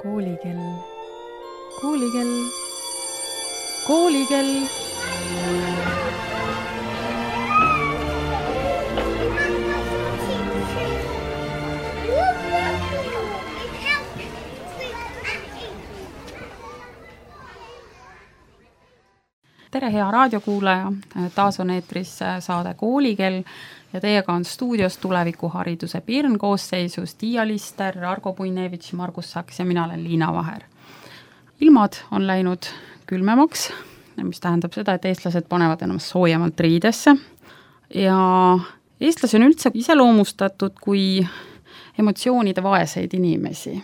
Koolikell, koolikell, koolikell. Tere, hea raadiokuulaja, taas on eetris saade Koolikell ja teiega on stuudios tulevikuhariduse Pirn koosseisus Tiia Lister, Argo Puinevitš, Margus Saks ja mina olen Liina Vaher. Ilmad on läinud külmemaks, mis tähendab seda, et eestlased panevad ennast soojemalt riidesse ja eestlasi on üldse iseloomustatud kui emotsioonide vaeseid inimesi.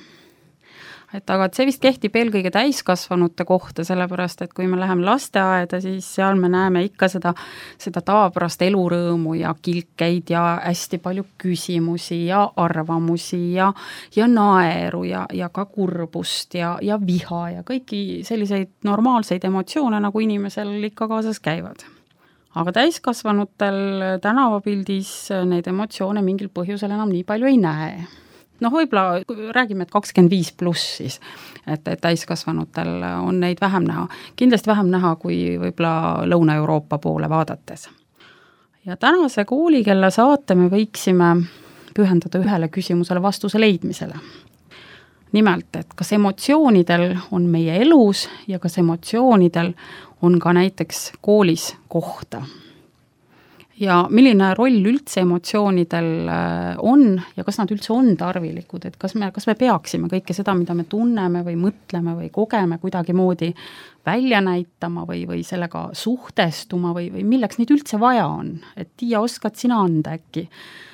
Aga see vist kehtib eelkõige täiskasvanute kohta, sellepärast, et kui me läheme lasteaeda, siis seal me näeme ikka seda tavapärast elurõõmu ja kilkeid ja hästi palju küsimusi ja arvamusi ja naeru ja ka kurbust ja viha ja kõiki selliseid normaalseid emotsioone, nagu inimesel ikka kaasas käivad. Aga täiskasvanutel tänavapildis neid emotsioone mingil põhjusel enam nii palju ei näe. Võib-olla räägime, et 25 pluss siis, et täiskasvanutel on neid vähem näha. Kindlasti vähem näha kui võib-olla Lõuna-Euroopa poole vaadates. Ja tänase Koolikella saate me võiksime pühendada ühele küsimusele vastuse leidmisele. Nimelt, et kas emotsioonidel on meie elus ja kas emotsioonidel on ka näiteks koolis kohta. Ja milline roll üldse emotsioonidel on ja kas nad üldse on tarvilikud, et kas me peaksime kõike seda, mida me tunneme või mõtleme või kogeme kuidagi moodi välja näitama või sellega suhtestuma või milleks neid üldse vaja on. Et Tiia, oskad sina anda äkki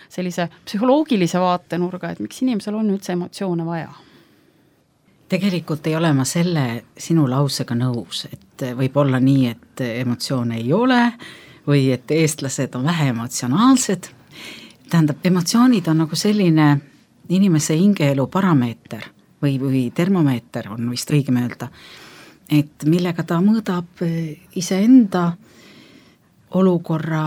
sellise psühholoogilise vaatenurga, et miks inimesel on üldse emotsioone vaja? Tegelikult ei ole ma selle sinu lausega nõus, et võib olla nii, et emotsioone ei ole või et eestlased on vähe emotsionaalsed. Tähendab, emotsioonid on nagu selline inimese hingeelu parameeter või termomeeter on vist õigem öelda, et millega ta mõõdab iseenda olukorra,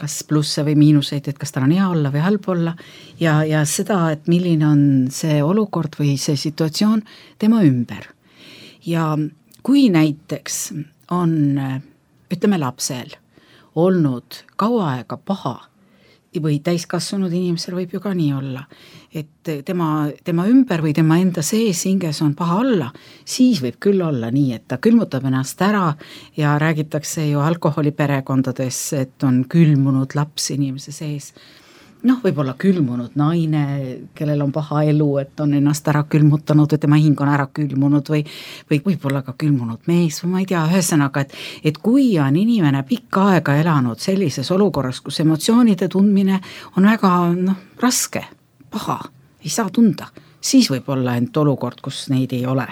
kas plusse või miinuseid, et kas tal on hea olla või halb olla ja seda, et milline on see olukord või see situatsioon tema ümber. Ja kui näiteks on, ütleme lapsel, olnud kaua aega paha või täiskasvanud inimesel võib ju ka nii olla, et tema ümber või tema enda sees hinges on paha olla, siis võib küll olla nii, et ta külmutab ennast ära ja räägitakse ju alkoholiperekondades, et on külmunud laps inimese sees. Võib-olla külmunud naine, kellel on paha elu, et on ennast ära külmutanud või tema hing on ära külmunud või võib-olla ka külmunud mees või ma ei tea, ühesõnaga, et kui on inimene pikka aega elanud sellises olukorras, kus emotsioonide tundmine on väga raske, paha, ei saa tunda, siis võib olla ent olukord, kus neid ei ole.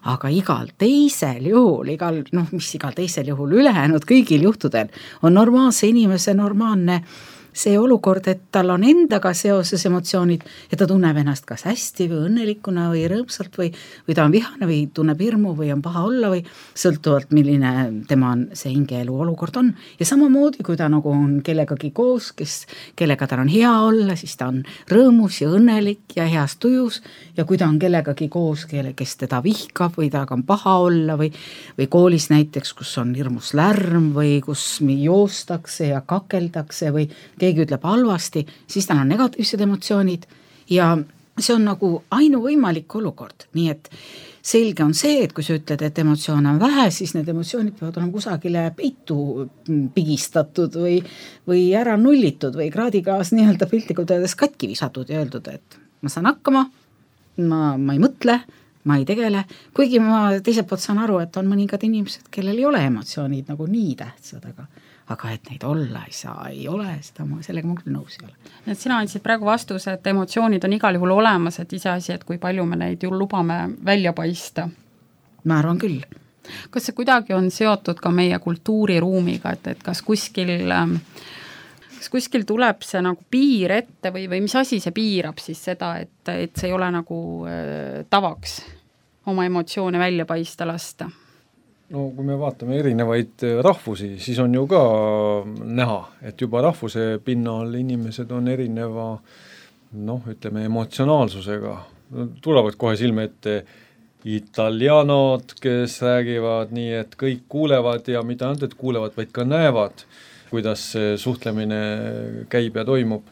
Aga igal teisel juhul, igal teisel juhul ülejäänud kõigil juhtudel on normaalse inimese normaalne see olukord, et tal on endaga seoses emotsioonid ja ta tunneb ennast kas hästi või õnnelikuna või rõõmsalt või ta on vihane või tunneb hirmu või on paha olla või sõltuvalt milline tema see hingeelu olukord on. Ja samamoodi, kui ta nagu on kellegagi koos, kellega tal on hea olla, siis ta on rõõmus ja õnnelik ja heas tujus ja kui ta on kellegagi koos, kes teda vihkab või taga on paha olla või koolis näiteks, kus on hirmus lärm või kus joostakse ja kakeldakse või keegi ütleb halvasti, siis tal on negatiivsed emotsioonid ja see on nagu ainuvõimalik olukord. Nii et selge on see, et kui sa ütled, et emotsioone on vähe, siis need emotsioonid peavad olema kusagile peitu pigistatud või ära nullitud või kraadigaas nii-öelda piltlikult öeldes katki visatud ja öeldud, et ma saan hakkama, ma ei mõtle, ma ei tegele, kuigi ma teiselt poolt saan aru, et on mõningad inimesed, kellel ei ole emotsioonid nagu nii tähtsad, aga et neid olla ei saa, ei ole, sellega ma küll nõus ei ole. Et sina andsid praegu vastuse, et emotsioonid on igal juhul olemas, et iseasi, et kui palju me neid ju lubame välja paista. Ma arvan küll. Kas see kuidagi on seotud ka meie kultuuriruumiga, et kas kuskil tuleb see nagu piir ette või mis asi see piirab siis seda, et see ei ole nagu tavaks oma emotsioone välja paista lasta? Kui me vaatame erinevaid rahvusi, siis on ju ka näha, et juba rahvuse pinnal inimesed on erineva, ütleme, emotsionaalsusega. Tulevad kohe silme ette italianod, kes räägivad nii, et kõik kuulevad ja mitte ainult, et kuulevad, vaid ka näevad, kuidas see suhtlemine käib ja toimub.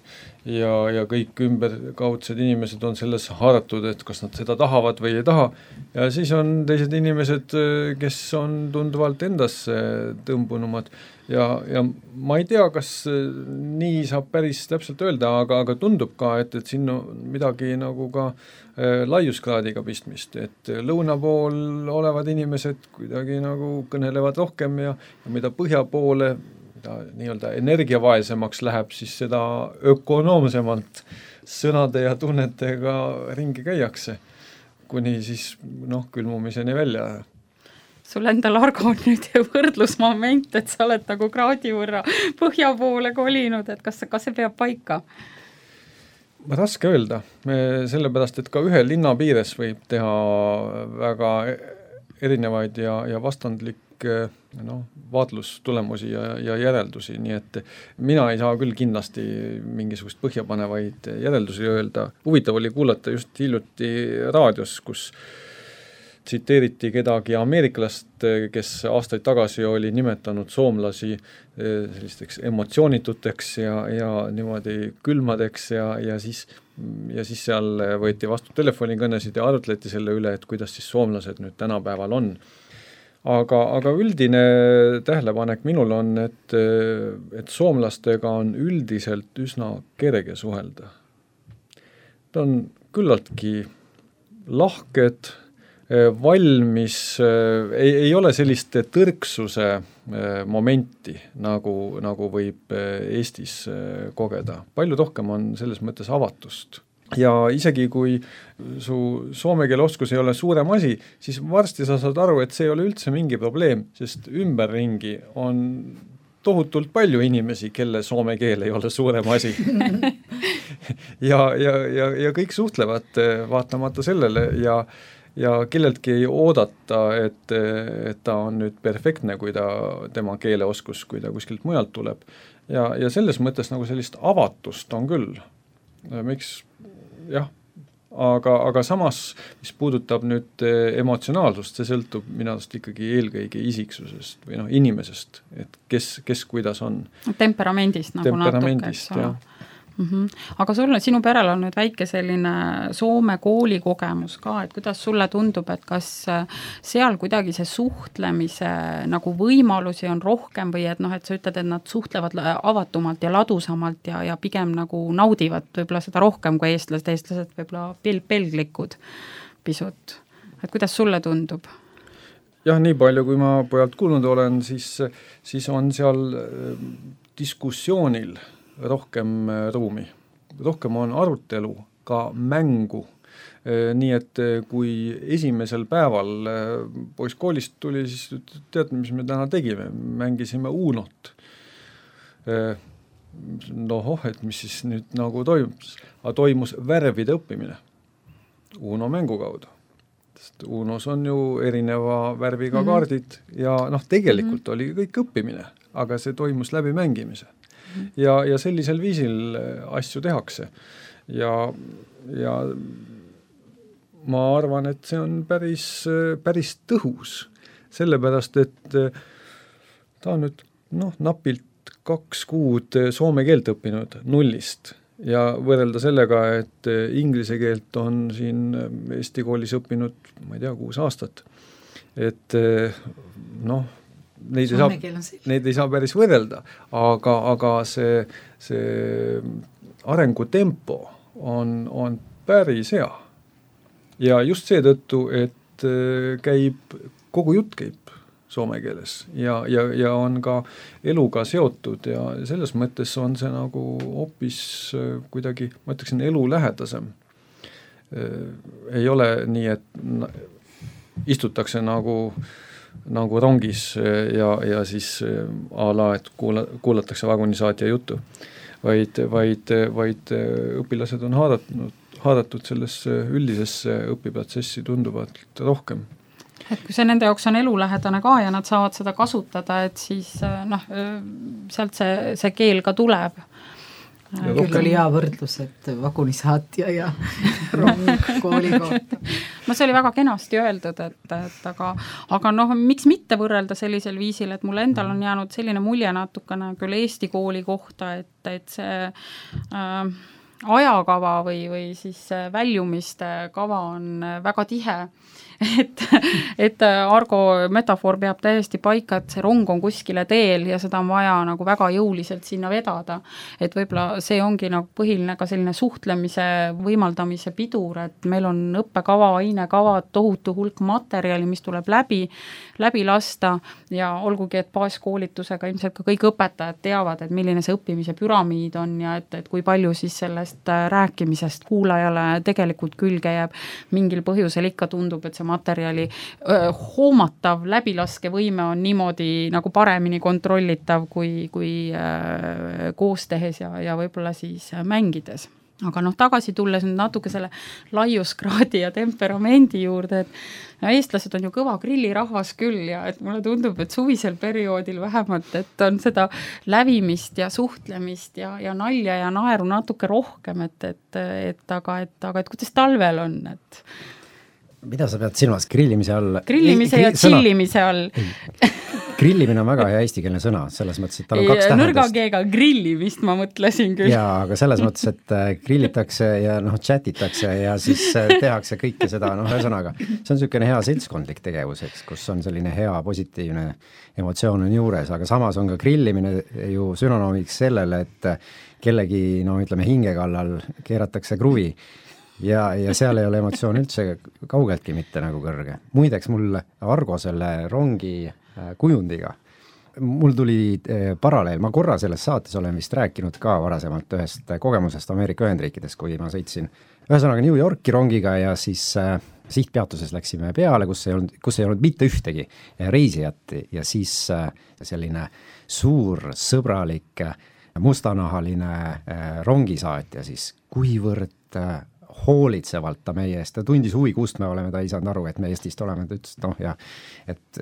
Ja kõik ümberkaudsed inimesed on selles haaratud, et kas nad seda tahavad või ei taha. Ja siis on teised inimesed, kes on tunduvalt endasse tõmbunumad. Ja ma ei tea, kas nii saab päris täpselt öelda, aga tundub ka, et siin on midagi nagu ka laiuskraadiga pistmist, et lõuna pool olevad inimesed kuidagi nagu kõnelevad rohkem ja mida põhja poole mida nii-öelda energiavaesemaks läheb, siis seda ökonoomsemalt sõnade ja tunnetega ringi käiakse, kuni siis külmumiseni välja. Sul endal, Argo, on nüüd võrdlusmoment, et sa oled nagu kraadi võrra põhja poole kolinud, et kas see peab paika? Raske öelda, sellepärast, et ka ühe linna piires võib teha väga erinevaid ja vastandlik vaatlustulemusi ja järeldusi, nii et mina ei saa küll kindlasti mingisugust põhjapanevaid järeldusi öelda. Huvitav oli kuulata just hiljuti raadios, kus tsiteeriti kedagi ameeriklast, kes aastaid tagasi oli nimetanud soomlasi sellisteks emotsioonituteks ja niimoodi külmadeks ja siis seal võeti vastu telefonikõnesid ja arutleti selle üle, et kuidas siis soomlased nüüd tänapäeval on. Aga üldine tähelepanek minul on, et soomlastega on üldiselt üsna kerge suhelda. Ta on küllaltki lahked, valmis, ei ole sellist tõrksuse momenti, nagu võib Eestis kogeda. Palju rohkem on selles mõttes avatust. Ja isegi kui su soome keele oskus ei ole suurem asi, siis varsti sa saad aru, et see ei ole üldse mingi probleem, sest ümberringi on tohutult palju inimesi, kelle soome keel ei ole suurem asi. ja kõik suhtlevad vaatamata sellele ja kelleltki ei oodata, et ta on nüüd perfektne, kui tema keeleoskus, kui ta kuskilt mujalt tuleb. Ja selles mõttes nagu sellist avatust on küll. Miks? Jah, aga samas, mis puudutab nüüd emotsionaalsust, see sõltub minu arust ikkagi eelkõige isiksusest või inimesest, et kes kuidas on. Temperamendist nagu Temperamendist, natuke. Aga sinu perel on nüüd väike selline Soome kooli kogemus ka, et kuidas sulle tundub, et kas seal kuidagi see suhtlemise nagu võimalusi on rohkem või et sa ütled, et nad suhtlevad avatumalt ja ladusamalt ja pigem nagu naudivad võib-olla seda rohkem kui eestlased võib-olla pelglikud pisut. Et kuidas sulle tundub? Jah, nii palju, kui ma pojalt kuulnud olen, siis on seal diskussioonil rohkem ruumi. Rohkem on arutelu, ka mängu. Nii et kui esimesel päeval poiss koolist tuli, siis tead, mis me täna tegime? Mängisime Unot. Et mis siis nüüd nagu toimus? Toimus värvide õppimine Uno mängu kaudu. Sest Unos on ju erineva värviga kaardid ja tegelikult oli kõik õppimine, aga see toimus läbi mängimise. Ja sellisel viisil asju tehakse ja ma arvan, et see on päris tõhus, sellepärast, et ta on nüüd napilt 2 kuud soome keelt õppinud nullist ja võrrelda sellega, et inglise keelt on siin Eesti koolis õppinud, ma ei tea, 6 aastat, et neid ei saa päris võrrelda, aga see arengutempo on päris hea. Ja just seetõttu, et kogu jutt käib soome keeles ja on ka eluga seotud ja selles mõttes on see nagu hoopis kuidagi, ma ütleksin, elu lähedasem. Ei ole nii, et istutakse nagu rongis ja siis a la, et kuulatakse vagunisaatja juttu, vaid õpilased on haaratud sellesse üldisesse õpiprotsessi tunduvalt rohkem. Et kui see nende jaoks on elulähedane ka ja nad saavad seda kasutada, et siis sealt see keel ka tuleb. Küll oli hea võrdlus, et vagunisaatja ja rong kooli kohta. no see oli väga kenasti öeldud, et aga noh, miks mitte võrrelda sellisel viisil, et mulle endal on jäänud selline mulje natukene küll Eesti kooli kohta, et see ajakava või siis väljumiste kava on väga tihe. Et Argo metafoor peab täiesti paika, et see rong on kuskile teel ja seda on vaja nagu väga jõuliselt sinna vedada. Et võib-olla see ongi nagu põhiline ka selline suhtlemise võimaldamise pidur, et meil on õppekava, ainekava, tohutu hulk materjali, mis tuleb läbi lasta ja olgugi, et baaskoolitusega ilmselt ka kõik õpetajad teavad, et milline see õppimise püramiid on ja et kui palju siis sellest rääkimisest kuulajale tegelikult külge jääb. Mingil põhjusel ikka tundub, et see materjali hoomatav läbilaskevõime on niimoodi nagu paremini kontrollitav kui koos tehes ja võib-olla siis mängides. Aga noh, tagasi tulles nüüd natuke selle laiuskraadi ja temperamendi juurde, et eestlased on ju kõva grillirahvas küll ja et mulle tundub, et suvisel perioodil vähemalt, et on seda lävimist ja suhtlemist ja nalja ja naeru natuke rohkem, aga kuidas talvel on, et mida sa pead silmas grillimise all? Grillimise ja chillimise all. Grillimine on väga hea eestikeelne sõna, selles mõttes, et tal on 2 tähendust. Nõrga G-ga grillimist ma mõtlesin küll. Jaa, aga selles mõttes, et grillitakse ja chatitakse ja siis tehakse kõike seda, ühesõnaga, see on niisugune hea seltskondlik tegevus, eks, kus on selline hea positiivne emotsioon on juures, aga samas on ka grillimine ju sünonoomiks sellele, et kellegi, hinge kallal keeratakse kruvi ja seal ei ole emotsioon üldse kaugeltki mitte nagu kõrge. Muideks mul Argo selle rongi kujundiga, mul tuli paralleel, ma korra selles saates olen vist rääkinud ka varasemalt ühest kogemusest Ameerika Ühendriikides, kui ma sõitsin ühesõnaga New Yorki rongiga ja siis sihtpeatuses läksime peale, kus ei olnud mitte ühtegi reisijat ja siis selline suur sõbralik mustanahaline rongisaatja siis, kuivõrd hoolitsevalt ta meie eest, ta tundis huvi, kust me oleme, ta ei saanud aru, et me Eestist oleme, ta ütles, et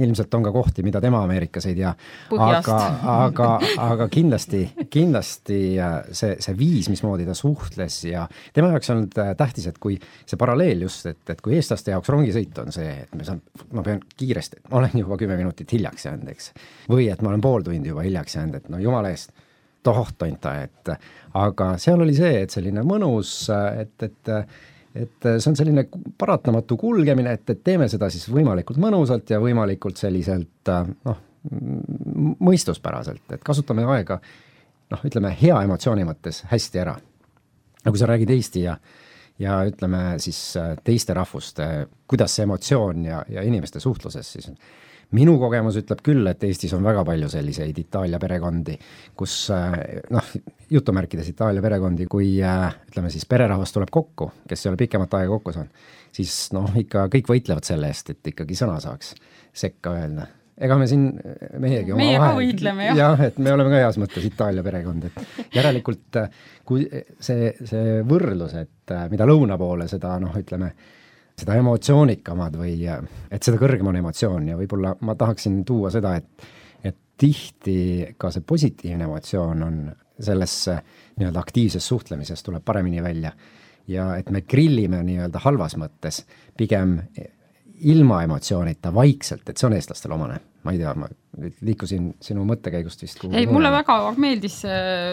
ilmselt on ka kohti, mida tema Ameerikas ei tea, aga kindlasti see viis, mismoodi ta suhtles ja tema jaoks on tähtis, et kui see paralleel just, et kui eestlaste jaoks rongisõit on see, et ma pean kiiresti, ma olen juba 10 minutit hiljaks jäänud, eks, või et ma olen pool tundi juba hiljaks jäänud, et jumala eest tohtonta, aga seal oli see, et selline mõnus, et see on selline paratamatu kulgemine, et teeme seda siis võimalikult mõnusalt ja võimalikult selliselt mõistuspäraselt, et kasutame aega ütleme hea emotsiooni mõttes hästi ära. Aga kui sa räägid Eesti ja ütleme siis teiste rahvuste, kuidas see emotsioon ja inimeste suhtluses siis minu kogemus ütleb küll, et Eestis on väga palju selliseid Itaalia perekondi, kus jutumärkides Itaalia perekondi, kui ütleme siis pererahvas tuleb kokku, kes ei ole pikemat aega kokku saanud, siis ikka kõik võitlevad selle eest, et ikkagi sõna saaks sekka öelda. Ega me siin meiegi oma meie ka võitleme, jah. Jah, et me oleme ka heas mõttes Itaalia perekond, et järelikult kui see võrdlus, et mida lõuna poole seda ütleme seda emotsioonikamad või et seda kõrgem on emotsioon ja võib-olla ma tahaksin tuua seda, et tihti ka see positiivne emotsioon on sellesse nii-öelda aktiivses suhtlemises tuleb paremini välja ja et me grillime nii-öelda halvas mõttes pigem ilma emotsioonita vaikselt, et see on eestlastele omane. Ma ei tea, ma liikusin sinu mõttekäigust vist. Ei, mulle väga meeldis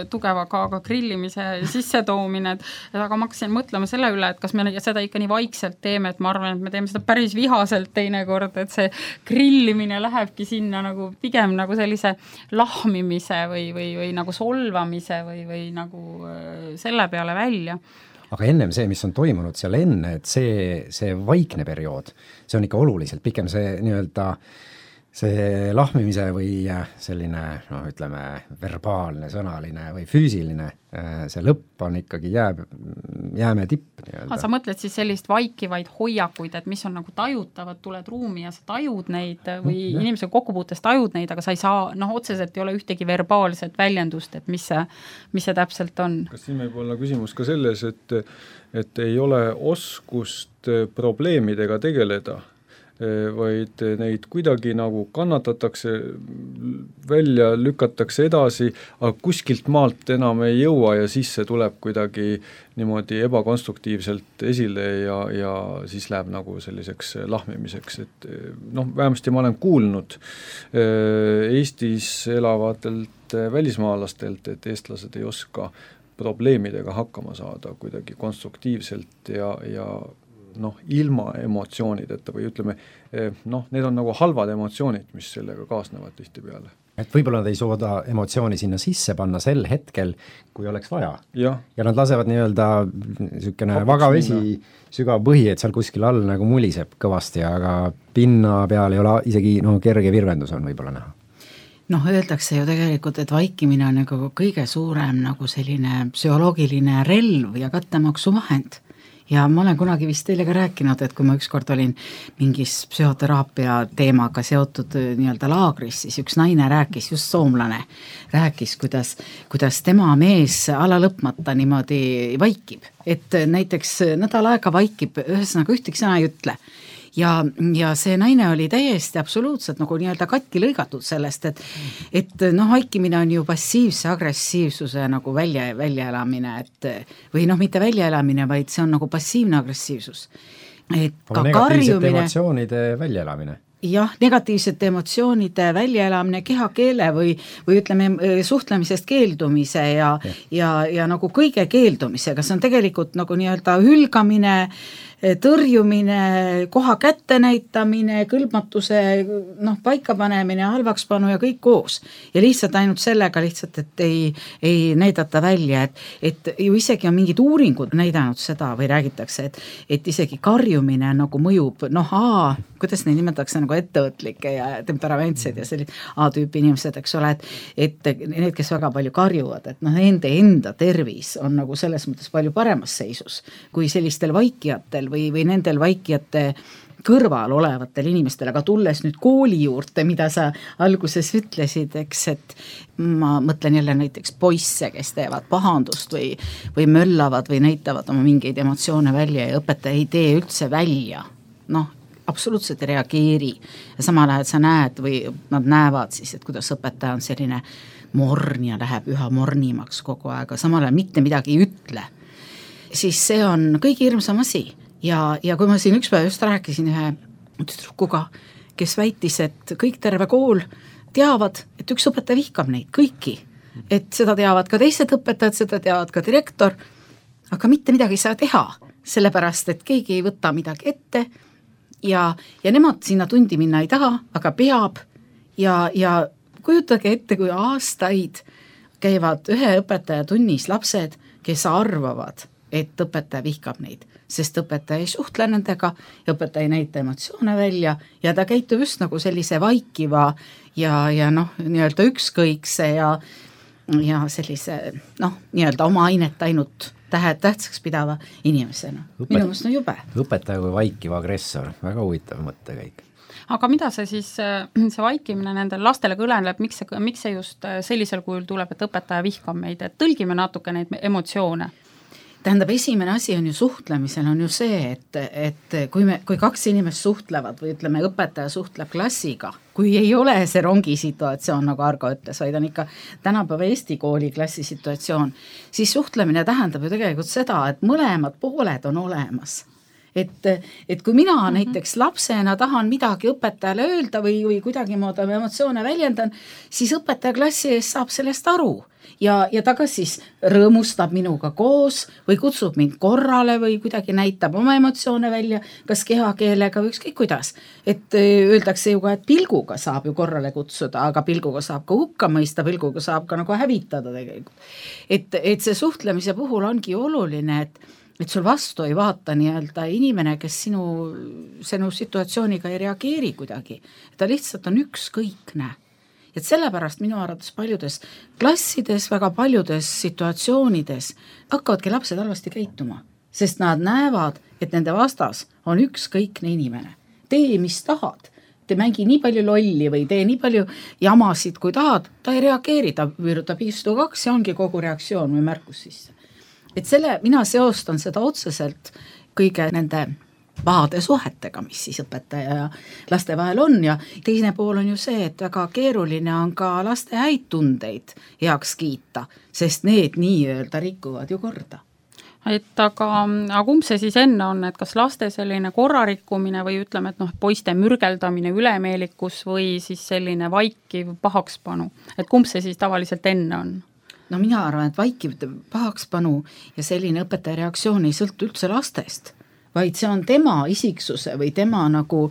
tugeva ka grillimise sissetoomine, aga ma hakkasin mõtlema selle üle, et kas me seda ikka nii vaikselt teeme, et ma arvan, et me teeme seda päris vihaselt teinekord, et see grillimine lähebki sinna nagu pigem nagu sellise lahmimise või nagu solvamise või nagu selle peale välja. Aga ennem see, mis on toimunud seal enne, et see vaikne periood, see on ikka oluliselt pikem, see nii-öelda see lahmimise või selline, ütleme, verbaalne, sõnaline või füüsiline, see lõpp on ikkagi jääme tipp. Sa mõtled siis sellist vaikivaid hoiakuid, et mis on nagu tajutavad, tuled ruumi ja sa tajud neid või inimesega kokkupuutes tajud neid, aga sa ei saa, otseselt ei ole ühtegi verbaalset väljendust, et mis see täpselt on. Kas siin võib olla küsimus ka selles, et ei ole oskust probleemidega tegeleda? vaid neid kuidagi nagu kannatatakse, välja lükatakse edasi, aga kuskilt maalt enam ei jõua ja siis see tuleb kuidagi niimoodi ebakonstruktiivselt esile ja siis läheb nagu selliseks lahmimiseks, et noh, vähemasti ma olen kuulnud Eestis elavatelt välismaalastelt, et eestlased ei oska probleemidega hakkama saada kuidagi konstruktiivselt ja noh, ilma emotsioonideta või ütleme, noh, need on nagu halvad emotsioonid, mis sellega kaasnevad tihtipeale. Et võib-olla nad ei suuda emotsiooni sinna sisse panna sel hetkel, kui oleks vaja. Ja nad lasevad nii-öelda niisugune vagavesi, sügav põhi, et seal kuskil all nagu muliseb kõvasti, aga pinna peal ei ole isegi kerge virvendus on võib-olla näha. Noh, öeldakse ju tegelikult, et vaikimine on nagu kõige suurem nagu selline psühholoogiline relv ja kattemaksu-vahend. Ja ma olen kunagi vist teile ka rääkinud, et kui ma ükskord olin mingis psühhoteraapia teemaga seotud nii-öelda laagris, siis üks naine rääkis, just soomlane, rääkis, kuidas tema mees ala lõpmata niimoodi vaikib. Et näiteks nädal aega vaikib, ühesõnaga ühtegi sõna ei ütle. Ja see naine oli täiesti absoluutselt nagu nii-öelda katki lõigatud sellest, et noh, vaikimine on ju passiivse agressiivsuse nagu väljaelamine, või noh, mitte väljaelamine, vaid see on nagu passiivne agressiivsus. Et ka negatiivsete emotsioonide väljaelamine. Jah, negatiivsete emotsioonide väljaelamine, kehakeele või ütleme suhtlemisest keeldumise ja nagu kõige keeldumisega, see on tegelikult nagu nii-öelda hülgamine, tõrjumine, koha kätte näitamine, kõlbmatuse paikapanemine, halvakspanu ja kõik koos. Ja lihtsalt ainult sellega lihtsalt, et ei näidata välja, et ju isegi on mingid uuringud näidanud seda või räägitakse, et isegi karjumine nagu mõjub, kuidas neid nimetatakse nagu ettevõtlikke ja temperamentsed ja sellised A-tüüpi inimesed, eks ole, et need, kes väga palju karjuvad, et nende enda tervis on nagu selles mõttes palju paremas seisus kui sellistel vaikijatel või nendel vaikijate kõrval olevatel inimestel, aga tulles nüüd kooli juurde, mida sa alguses ütlesid, eks, et ma mõtlen jälle näiteks poisse, kes teevad pahandust või möllavad või näitavad oma mingeid emotsioone välja ja õpetaja ei tee üldse välja, absoluutselt ei reageeri ja samal ajal sa näed või nad näevad siis, et kuidas õpetaja on selline morn ja läheb üha mornimaks kogu aeg, samal ajal mitte midagi ei ütle, siis see on kõige hirmsam asi. Ja kui ma siin ükspäev just rääkisin ühe tüdrukuga, kes väitis, et kõik terve kool teavad, et üks õpetaja vihkab neid kõiki, et seda teavad ka teised õpetajad, seda teavad ka direktor, aga mitte midagi ei saa teha, sellepärast, et keegi ei võta midagi ette ja nemad sinna tundi minna ei taha, aga peab ja kujutage ette, kui aastaid käivad ühe õpetaja tunnis lapsed, kes arvavad, et õpetaja vihkab neid, sest õpetaja ei suhtle nendega ja õpetaja ei näita emotsioone välja ja ta käitub just nagu sellise vaikiva ja nii-öelda ükskõikse ja sellise nii-öelda oma ainet ainult tähtsaks pidava inimesena. Minu mõttes on jube. Õpetaja kui vaikiv agressor, väga huvitav mõttekäik. Aga mida see vaikimine nendel lastele kõleneb, miks see just sellisel kujul tuleb, et õpetaja vihkab meid, et tõlgime natuke neid emotsioone? Tähendab, esimene asi on ju suhtlemisel on ju see, et kui kaks inimest suhtlevad või ütleme, õpetaja suhtleb klassiga, kui ei ole see rongi situatsioon, nagu Argo ütles, vaid on ikka tänapäeva Eesti kooli klassi situatsioon, siis suhtlemine tähendab ju tegelikult seda, et mõlemad pooled on olemas. Et kui mina näiteks lapsena tahan midagi õpetajale öelda või kuidagi moodi emotsioone väljendan, siis õpetaja klassi ees saab sellest aru ja ta kas siis rõõmustab minuga koos või kutsub mind korrale või kuidagi näitab oma emotsioone välja, kas kehakeelega või ükskõik kuidas. Et öeldakse ju ka, et pilguga saab ju korrale kutsuda, aga pilguga saab ka hukka mõista, pilguga saab ka nagu hävitada tegelikult. Et see suhtlemise puhul ongi oluline, et sul vastu ei vaata nii-öelda inimene, kes sinu situatsiooniga ei reageeri kuidagi. Ta lihtsalt on ükskõikne. Et sellepärast minu arvates paljudes klassides, väga paljudes situatsioonides hakkavadki lapsed halvasti käituma, sest nad näevad, et nende vastas on ükskõikne inimene. Tee, mis tahad. Te mängi nii palju lolli või tee nii palju jamasid, kui tahad, ta ei reageeri, ta viirutab istu 2 ja ongi kogu reaktsioon või märkus sisse. Et mina seostan seda otseselt kõige nende pahade suhetega, mis siis õpetaja ja laste vahel on ja teine pool on ju see, et väga keeruline on ka laste häid tundeid heaks kiita, sest need nii-öelda rikuvad ju korda. Et aga kumb see siis enne on, et kas laste selline korrarikkumine või ütleme, et poiste mürgeldamine, ülemeelikus või siis selline vaikiv pahakspanu, et kumb see siis tavaliselt enne on? No mina arvan, et vaikiv pahakspanu ja selline õpetaja reaktsioon ei sõltu üldse lastest, vaid see on tema isiksuse või tema nagu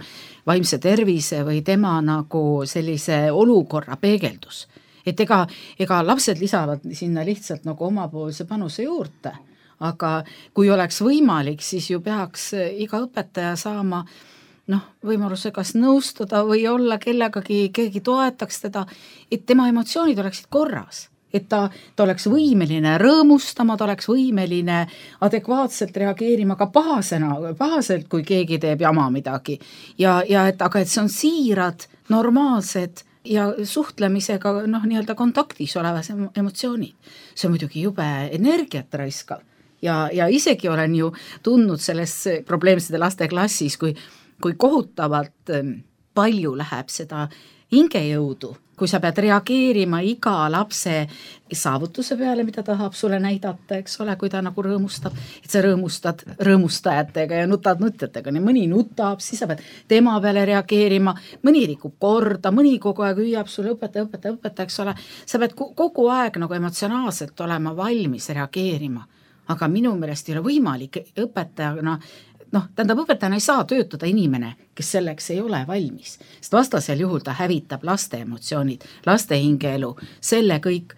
vaimse tervise või tema nagu sellise olukorra peegeldus. Et ega lapsed lisavad sinna lihtsalt nagu omapoolse panuse juurde, aga kui oleks võimalik, siis ju peaks iga õpetaja saama võimaluse kas nõustada või olla keegi toetaks teda, et tema emotsioonid oleksid korras. Et ta oleks võimeline rõõmustama, ta oleks võimeline adekvaatselt reageerima ka pahaselt, kui keegi teeb jama midagi. Aga et see on siirad, normaalsed ja suhtlemisega nii-öelda kontaktis olevas emotsioonid. See on muidugi jube energiat raiskav ja isegi olen ju tundnud selles probleemsete laste klassis, kui kohutavalt palju läheb seda hingejõudu, kui sa pead reageerima iga lapse saavutuse peale, mida tahab sulle näidata, eks ole, kui ta nagu rõõmustab, et sa rõõmustad rõõmustajatega ja nutad nutjatega, nii mõni nutab, siis sa pead tema peale reageerima, mõni rikub korda, mõni kogu aeg hüüab sulle õpetaja, eks ole, sa pead kogu aeg nagu emotsionaalselt olema valmis reageerima, aga minu meelest ei ole võimalik õpetajana, õpetajana ei saa töötada inimene, kes selleks ei ole valmis, sest vastasel juhul ta hävitab laste emotsioonid, laste hingeelu, selle kõik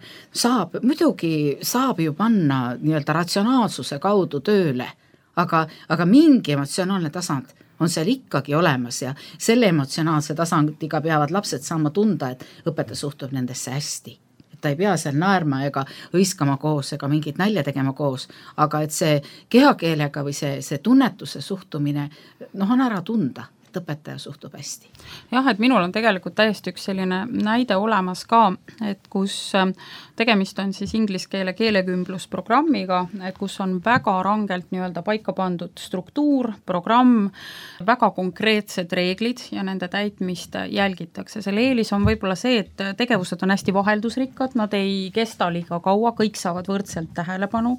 muidugi saab ju panna nii-öelda ratsionaalsuse kaudu tööle, aga mingi emotsionaalne tasand on seal ikkagi olemas ja selle emotsionaalse tasandiga peavad lapsed saama tunda, et õpetaja suhtub nendesse hästi. Ta ei pea seal naerma ega hõiskama koos ega mingit nälja tegema koos, aga et see kehakeelega või see tunnetuse suhtumine on ära tunda, et õpetaja suhtub hästi. Jah, et minul on tegelikult täiesti üks selline näide olemas ka, et kus tegemist on siis inglise keele keelekümblusprogrammiga, et kus on väga rangelt nii-öelda paika pandud struktuur, programm, väga konkreetsed reeglid ja nende täitmist jälgitakse. Selle eelis on võib-olla see, et tegevused on hästi vaheldusrikkad, nad ei kesta liiga kaua, kõik saavad võrdselt tähelepanu,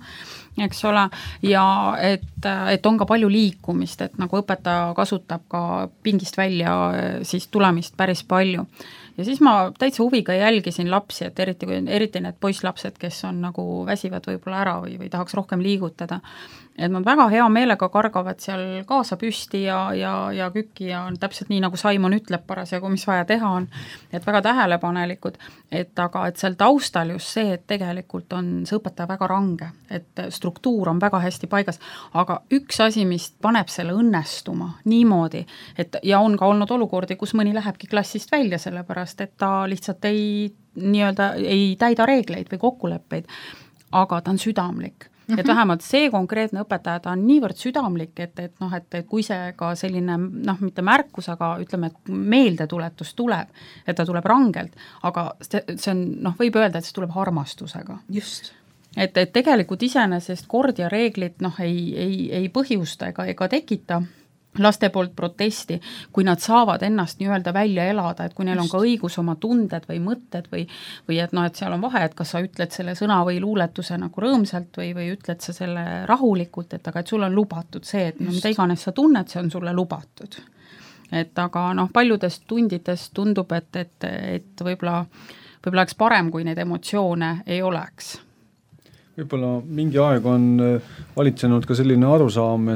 eks ole, ja et on ka palju liikumist, et nagu õpetaja kasutab ka pingist välja siis tulemist päris palju. Ja siis ma täitsa huviga jälgisin lapsi, et eriti need poisslapsed, kes on nagu väsivad võib-olla ära või tahaks rohkem liigutada, et nad väga hea meelega kargavad seal kaasa püsti ja kükki ja täpselt nii, nagu Simon ütleb parasjagu, mis vaja teha on, et väga tähelepanelikud, aga seal taustal just see, et tegelikult on see õpetaja väga range, et struktuur on väga hästi paigas, aga üks asi, mis paneb selle õnnestuma niimoodi, et ja on ka olnud olukordi, kus mõni lähebki klassist välja sellepärast, et ta lihtsalt ei täida reegleid või kokkuleppeid, aga ta on südamlik. Et vähemalt see konkreetne õpetaja, ta on niivõrd südamlik, et kui see ka selline, mitte märkus, aga ütleme, et meeldetuletus tuleb, et ta tuleb rangelt, aga see on, võib öelda, et see tuleb armastusega. Just. Et tegelikult iseenesest kord ja reeglid ei põhjusta ega tekita laste poolt protesti, kui nad saavad ennast nii-öelda välja elada, et kui neil on ka õigus oma tunded või mõtted või et seal on vahe, et kas sa ütled selle sõna või luuletuse nagu rõõmsalt või ütled sa selle rahulikult, aga et sul on lubatud see, et mida iganes sa tunned, see on sulle lubatud. Et aga paljudest tundidest tundub, et võib-olla oleks parem, kui neid emotsioone ei oleks. Võib-olla mingi aeg on valitsenud ka selline arusaam,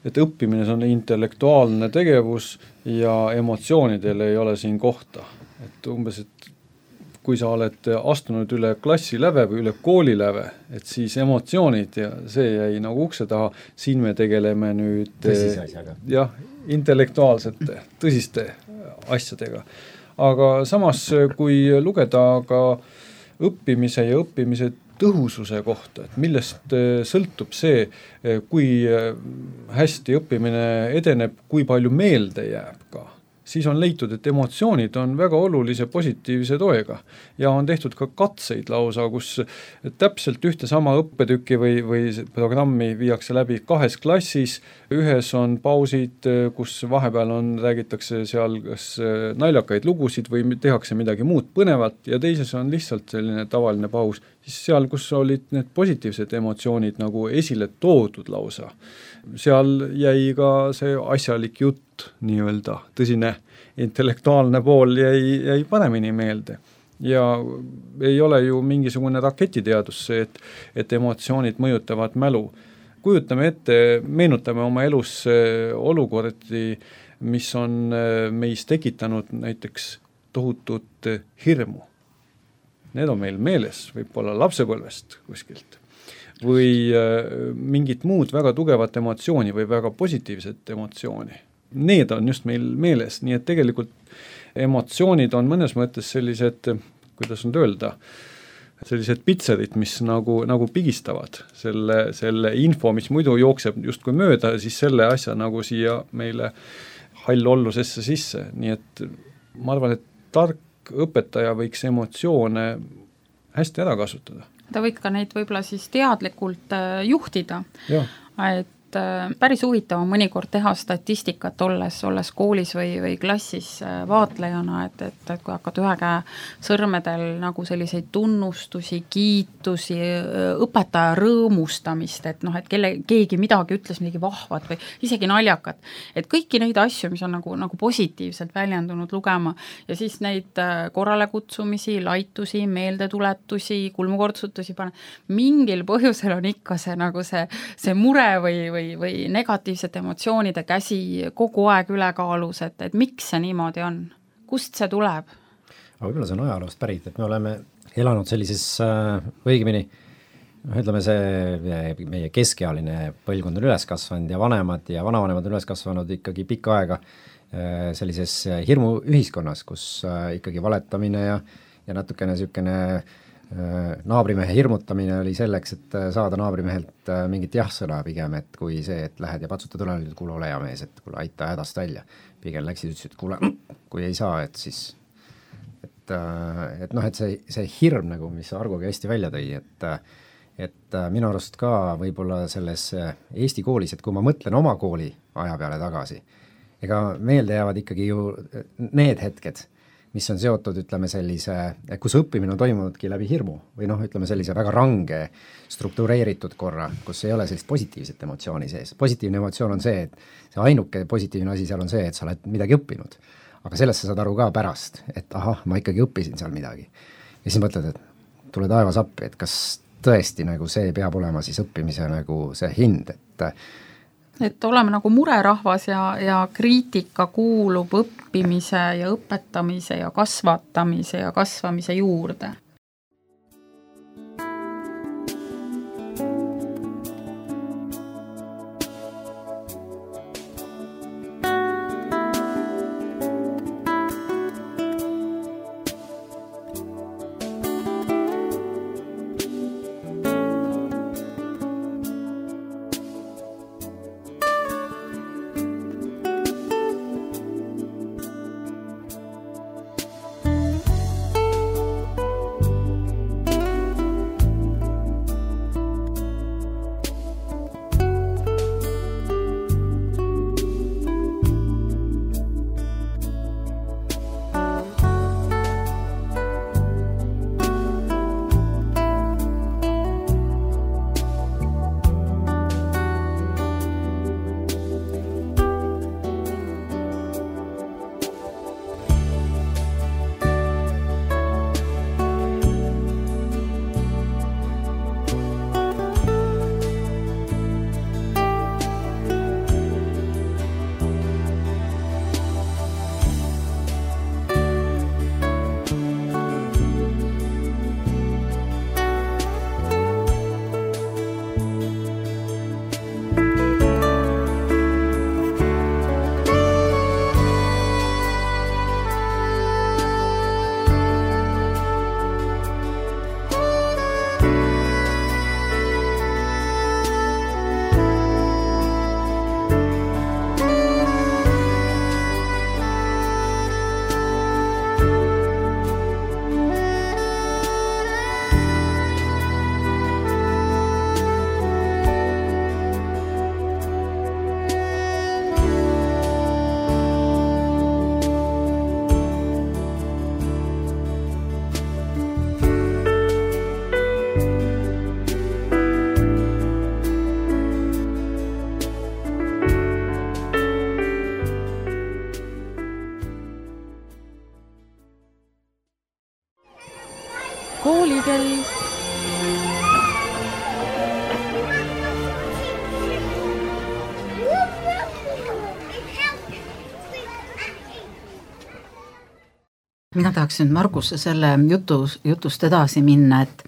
et õppimine on intellektuaalne tegevus ja emotsioonidel ei ole siin kohta. Et umbes, et kui sa oled astunud üle klassiläve või üle kooliläve, et siis emotsioonid ja see jäi nagu ukse taha, siin me tegeleme nüüd tõsise asjaga. Jah, intellektuaalsete, tõsiste asjadega. Aga samas, kui lugeda ka õppimise ja õppimise tõhususe kohta, et millest sõltub see, kui hästi õppimine edeneb, kui palju meelde jääb ka. siis on leitud, et emotsioonid on väga olulise positiivse toega ja on tehtud ka katseid lausa, kus täpselt ühte sama õppetükki või programmi viiakse läbi 2 klassis, ühes on pausid, kus vahepeal räägitakse seal kas naljakaid lugusid või tehakse midagi muud põnevat ja teises on lihtsalt selline tavaline paus, siis seal, kus olid need positiivsed emotsioonid nagu esile toodud lausa, seal jäi ka see asjalik jutt, nii-öelda tõsine intellektuaalne pool jäi paremini meelde. Ja ei ole ju mingisugune raketiteadus see, et emotsioonid mõjutavad mälu. Kujutame ette, meenutame oma elus olukordi, mis on meis tekitanud näiteks tohutut hirmu. Need on meil meeles, võib-olla lapsepõlvest kuskilt. Või mingit muud väga tugevat emotsiooni või väga positiivset emotsiooni. Need on just meil meeles, nii et tegelikult emotsioonid on mõnes mõttes sellised, kuidas nüüd öelda, sellised pitserid, mis nagu pigistavad selle info, mis muidu jookseb justkui mööda, siis selle asja nagu siia meile hallollusesse sisse, nii et ma arvan, et tark õpetaja võiks emotsioone hästi ära kasutada. Ta võiks ka neid võib-olla siis teadlikult juhtida, et päris huvitav on mõnikord teha statistikat olles koolis või klassis vaatlejana, et kui hakkad ühe käe sõrmedel nagu selliseid tunnustusi, kiitusi, õpetaja rõõmustamist, et noh, et keegi midagi ütles midagi vahvat või isegi naljakat, et kõiki neid asju, mis on nagu positiivselt väljendunud lugema ja siis neid korrale kutsumisi, laitusi, meeldetuletusi, kulmukordsutusi mingil põhjusel on ikka see nagu see mure või negatiivsete emotsioonide käsi kogu aeg ülekaalus, et miks see niimoodi on? Kust see tuleb? Aga võib-olla see on ajaloost pärit, et me oleme elanud sellises õigemini, ütleme see meie keskealine põlvkond on üles kasvanud ja vanemad ja vanavanemad on üles kasvanud ikkagi pikka aega sellises hirmuühiskonnas, kus ikkagi valetamine ja natukene niisugune naabrimehe hirmutamine oli selleks, et saada naabrimehelt mingit jah-sõna pigem, et kui see, et lähed ja patsutad õlele, et kuule, ole hea mees, et kuule, aita hädast välja. Pigem läksid, ütlesid, et kuule, kui ei saa, et siis et noh, et see hirm nagu, mis Argogi hästi välja tõi, et minu arust ka võib-olla selles Eesti koolis, et kui ma mõtlen oma kooli aja peale tagasi, ega meelde jäävad ikkagi ju need hetked, mis on seotud, ütleme sellise, kus õppimine on toimunudki läbi hirmu või noh, ütleme sellise väga range struktureeritud korra, kus ei ole sellist positiivset emotsiooni sees. Positiivne emotsioon on see, et see ainuke positiivne asi seal on see, et sa oled midagi õppinud. Aga sellest sa saad aru ka pärast, et ahah, ma ikkagi õppisin seal midagi. Ja siis mõtled, et tule taevas appi, et kas tõesti nagu see peab olema siis õppimise nagu see hind, et oleme nagu murerahvas ja kriitika kuulub õppimise ja õpetamise ja kasvatamise ja kasvamise juurde. kooli kell. Mina tahaks nüüd Marguse selle jutust edasi minna, et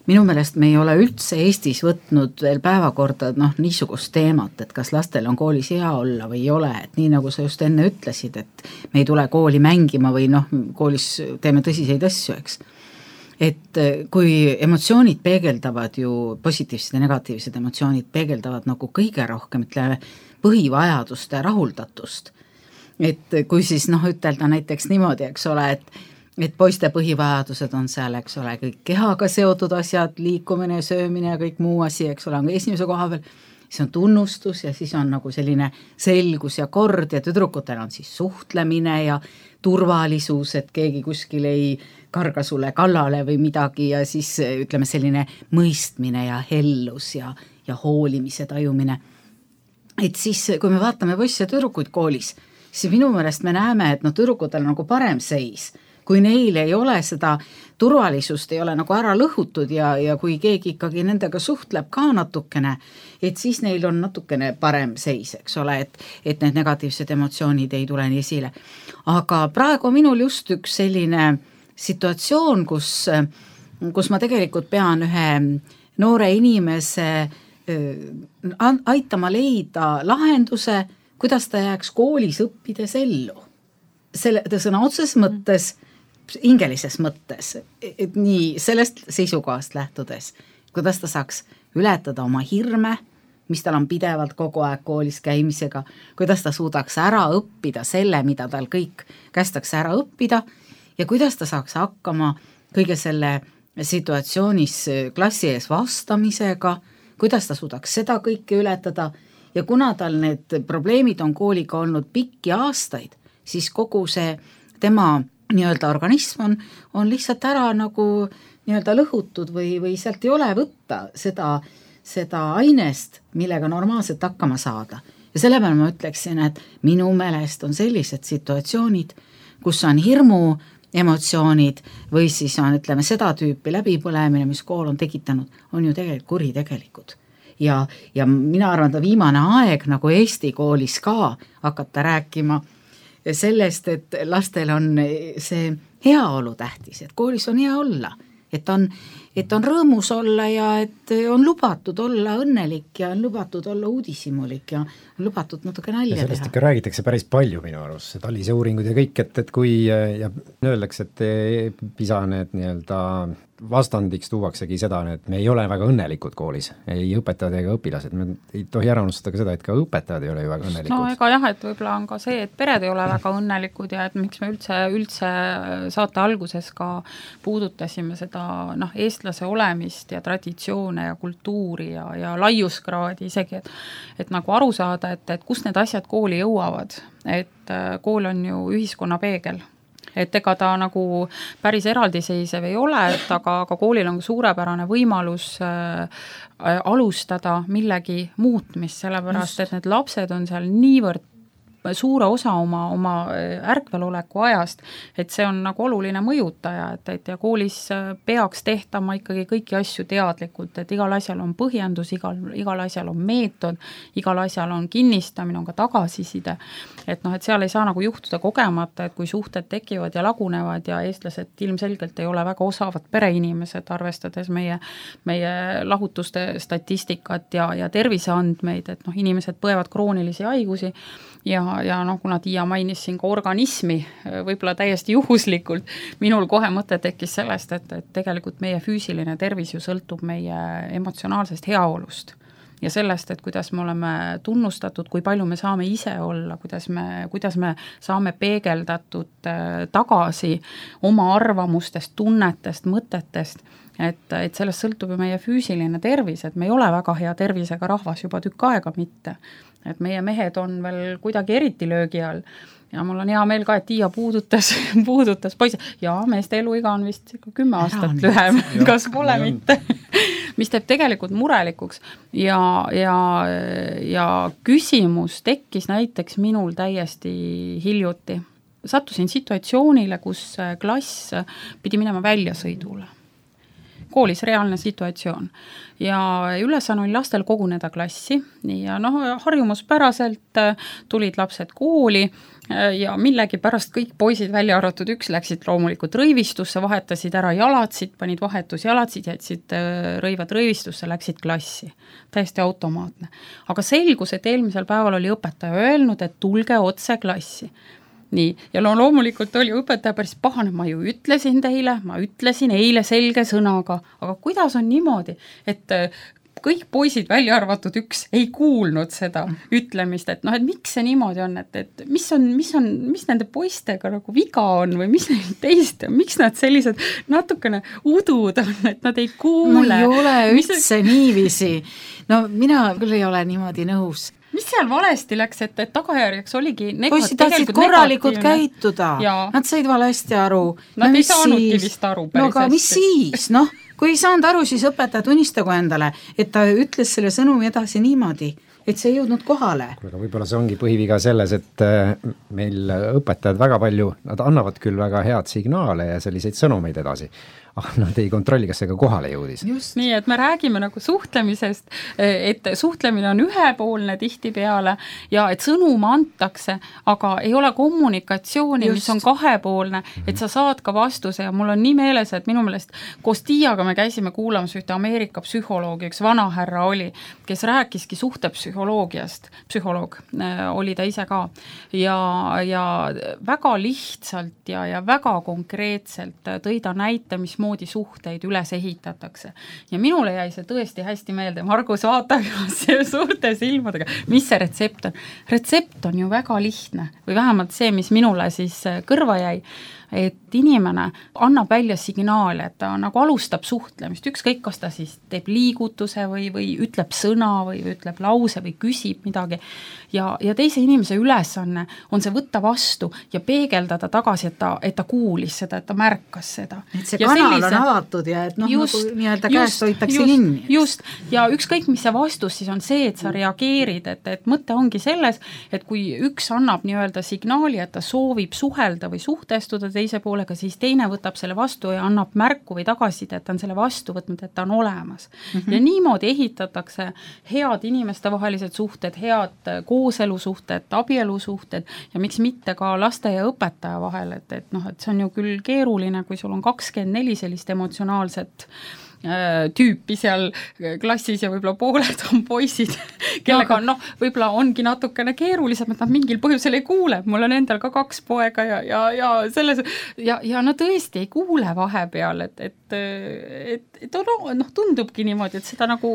minu meelest me ei ole üldse Eestis võtnud veel päevakorda niisugust teemat, et kas lastel on koolis hea olla või ei ole, et nii nagu sa just enne ütlesid, et me ei tule kooli mängima või koolis teeme tõsiseid asju, eks. Et kui emotsioonid peegeldavad ju, positiivsed ja negatiivsed emotsioonid peegeldavad nagu kõige rohkem, ütleme, põhivajaduste rahuldatust. Et kui siis ütelda näiteks niimoodi, eks ole, et poiste põhivajadused on seal, eks ole, kõik kehaga seotud asjad, liikumine, söömine ja kõik muu asi, eks ole, on esimese koha peal, siis on tunnustus ja siis on nagu selline selgus ja kord ja tüdrukutel on siis suhtlemine ja turvalisus, et keegi kuskil ei karga sulle kallale või midagi ja siis ütleme selline mõistmine ja hellus ja hoolimise tajumine. Et siis, kui me vaatame poisse ja tüdrukuid koolis, siis minu meelest me näeme, et tüdrukutel on nagu parem seis, kui neil ei ole seda turvalisust, ei ole nagu ära lõhutud ja kui keegi ikkagi nendega suhtleb ka natukene, et siis neil on natukene parem seis, eks ole, et need negatiivsed emotsioonid ei tule nii esile. Aga praegu on minul just üks selline situatsioon, kus ma tegelikult pean ühe noore inimese aitama leida lahenduse, kuidas ta jääks koolis õppides ellu. Selle sõna otses mõttes, hingelises mõttes, et nii sellest seisukohast lähtudes, kuidas ta saaks ületada oma hirme, mis tal on pidevalt kogu aeg koolis käimisega, kuidas ta suudaks ära õppida selle, mida tal kõik kästakse ära õppida ja kuidas ta saaks hakkama kõige selle situatsioonis klassi ees vastamisega, kuidas ta suudaks seda kõike ületada. Ja kuna tal need probleemid on kooliga olnud pikki aastaid, siis kogu see tema nii-öelda organism on lihtsalt ära nagu nii-öelda lõhutud või sealt ei ole võtta seda ainest, millega normaalselt hakkama saada. Ja selle peale ma ütleksin, et minu meelest on sellised situatsioonid, kus on hirmu emotsioonid või siis on, ütleme, seda tüüpi läbipõlemine, mis kool on tekitanud, on ju tegelikult kuritegelikud. Ja mina arvan, et viimane aeg nagu Eesti koolis ka hakata rääkima sellest, et lastel on see heaolu tähtis, et koolis on hea olla, et on rõõmus olla ja et on lubatud olla õnnelik ja on lubatud olla uudishimulik ja on lubatud natuke nalja teha. Sellest ikka räägitakse päris palju minu arust, Talise uuringud ja kõik, et kui ja öeldakse, et PISA need nii-öelda vastandiks tuuaksegi seda, et me ei ole väga õnnelikud koolis, ei õpetajad ega õpilased, me ei tohi ära unustada ka seda, et ka õpetajad ei ole ju väga õnnelikud. No ega jah, et võib-olla on ka see, et pered ei ole väga õnnelikud ja et miks me üldse saate alguses ka puudutasime seda eestlase olemist ja traditsioone ja kultuuri ja laiuskraadi isegi, et nagu aru saada, et kust need asjad kooli jõuavad, et kool on ju ühiskonna peegel. Et ega ta nagu päris eraldiseisev ei ole, aga koolil on suurepärane võimalus alustada millegi muutmist, sellepärast, et need lapsed on seal niivõrd suure osa oma ärkveloleku ajast, et see on nagu oluline mõjutaja, et ja koolis peaks tehtama ikkagi kõiki asju teadlikult, et igal asjal on põhjendus, igal asjal on meetod, igal asjal on kinnistamine, on ka tagasiside, et et seal ei saa nagu juhtuda kogemata, et kui suhted tekivad ja lagunevad ja eestlased ilmselgelt ei ole väga osavad pereinimesed, arvestades meie lahutuste statistikat ja terviseandmeid, et inimesed põevad kroonilisi haigusi ja kuna Tiia mainis siin ka organismi, võib-olla täiesti juhuslikult, minul kohe mõte tekkis sellest, et tegelikult meie füüsiline tervis ju sõltub meie emotsionaalsest heaolust ja sellest, et kuidas me oleme tunnustatud, kui palju me saame ise olla, kuidas me saame peegeldatud tagasi oma arvamustest, tunnetest, mõtetest, et sellest sõltub ju meie füüsiline tervis, et me ei ole väga hea tervisega rahvas juba tükk aega mitte. Et meie mehed on veel kuidagi eriti löögi all ja mul on hea meel ka, et Tiia puudutas poisse. Ja meeste eluiga on vist 10 aastat lühem, kas pole mitte, mis teeb tegelikult murelikuks ja küsimus tekkis näiteks minul täiesti hiljuti. Sattusin situatsioonile, kus klass pidi minema väljasõidule. koolis reaalne situatsioon. Ja ülesanne oli lastel koguneda klassi ja harjumuspäraselt tulid lapsed kooli ja millegi pärast kõik poisid välja arvatud üks läksid loomulikult rõivistusse, vahetasid ära jalatsid, panid vahetusjalatsid, jätsid rõivad rõivistusse, läksid klassi. Täiesti automaatne. Aga selgus, et eelmisel päeval oli õpetaja öelnud, et tulge otse klassi. Nii, ja loomulikult oli õpetaja päris pahane, ma ju ütlesin teile, ma ütlesin eile selge sõnaga, aga kuidas on niimoodi, et kõik poisid välja arvatud üks ei kuulnud seda ütlemist, et et miks see niimoodi on, et mis nende poistega nagu viga on või mis neil teist on, miks nad sellised natukene udud on, et nad ei kuule. No ei ole üldse niiviisi. No mina küll ei ole niimoodi nõus. Mis seal valesti läks, et tagajärjeks oligi poisid tahtsid korralikult käituda, nad said valesti aru. Nad ei saanudki vist aru päris hästi. No aga mis siis, kui ei saanud aru, siis õpetaja tunnistagu endale, et ta ütles selle sõnumi edasi niimoodi, et see ei jõudnud kohale. Aga võib-olla see ongi põhiviga selles, et meil õpetajad väga palju, nad annavad küll väga head signaale ja selliseid sõnumeid edasi, aga nad ei kontrolli, kas see ka kohale jõudis. Just. Nii, et me räägime nagu suhtlemisest, et suhtlemine on ühepoolne tihtipeale ja et sõnum antakse, aga ei ole kommunikatsiooni, mis on kahepoolne, et sa saad ka vastuse ja mul on nii meeles, et minu meelest koos Tiiaga me käisime kuulamas ühte Ameerika psühholoogi, üks vanahärra oli, kes rääkiski suhtepsühholoogiast, psühholoog oli ta ise ka ja väga lihtsalt ja väga konkreetselt tõi ta näite, mis moodi suhteid üles ehitatakse. Ja minule jäi see tõesti hästi meelde. Margus vaatab suurte silmadega. Mis see retsept on? Retsept on ju väga lihtne või vähemalt see, mis minule siis kõrva jäi, et inimene annab välja signaali, et ta nagu alustab suhtlemist, ükskõik kas ta siis teeb liigutuse või ütleb sõna või ütleb lause või küsib midagi ja teise inimese ülesanne on see võtta vastu ja peegeldada tagasi, et ta kuulis seda, et ta märkas seda. Et see kanal on avatud ja et nagu nii-öelda käest hoitakse kinni. Just, ja ükskõik mis see vastus siis on see, et sa reageerid, et mõte ongi selles, et kui üks annab nii-öelda signaali, et ta soovib suhelda või suhtestuda teise poolega, siis teine võtab selle vastu ja annab märku või tagasiside, et ta on selle vastu võtnud, et ta on olemas. Ja niimoodi ehitatakse head inimestevahelised suhted, head kooselusuhted, abielusuhted ja miks mitte ka laste ja õpetaja vahel, et see on ju küll keeruline, kui sul on 24 sellist emotsionaalset tüüpi seal klassis ja võib-olla pooled on poisid, kellega võib-olla ongi natukene keerulisem, et nad mingil põhjusel ei kuule. Mul on endal ka 2 poega ja selles ja nad tõesti ei kuule vahepeal, et tundubki niimoodi, et seda nagu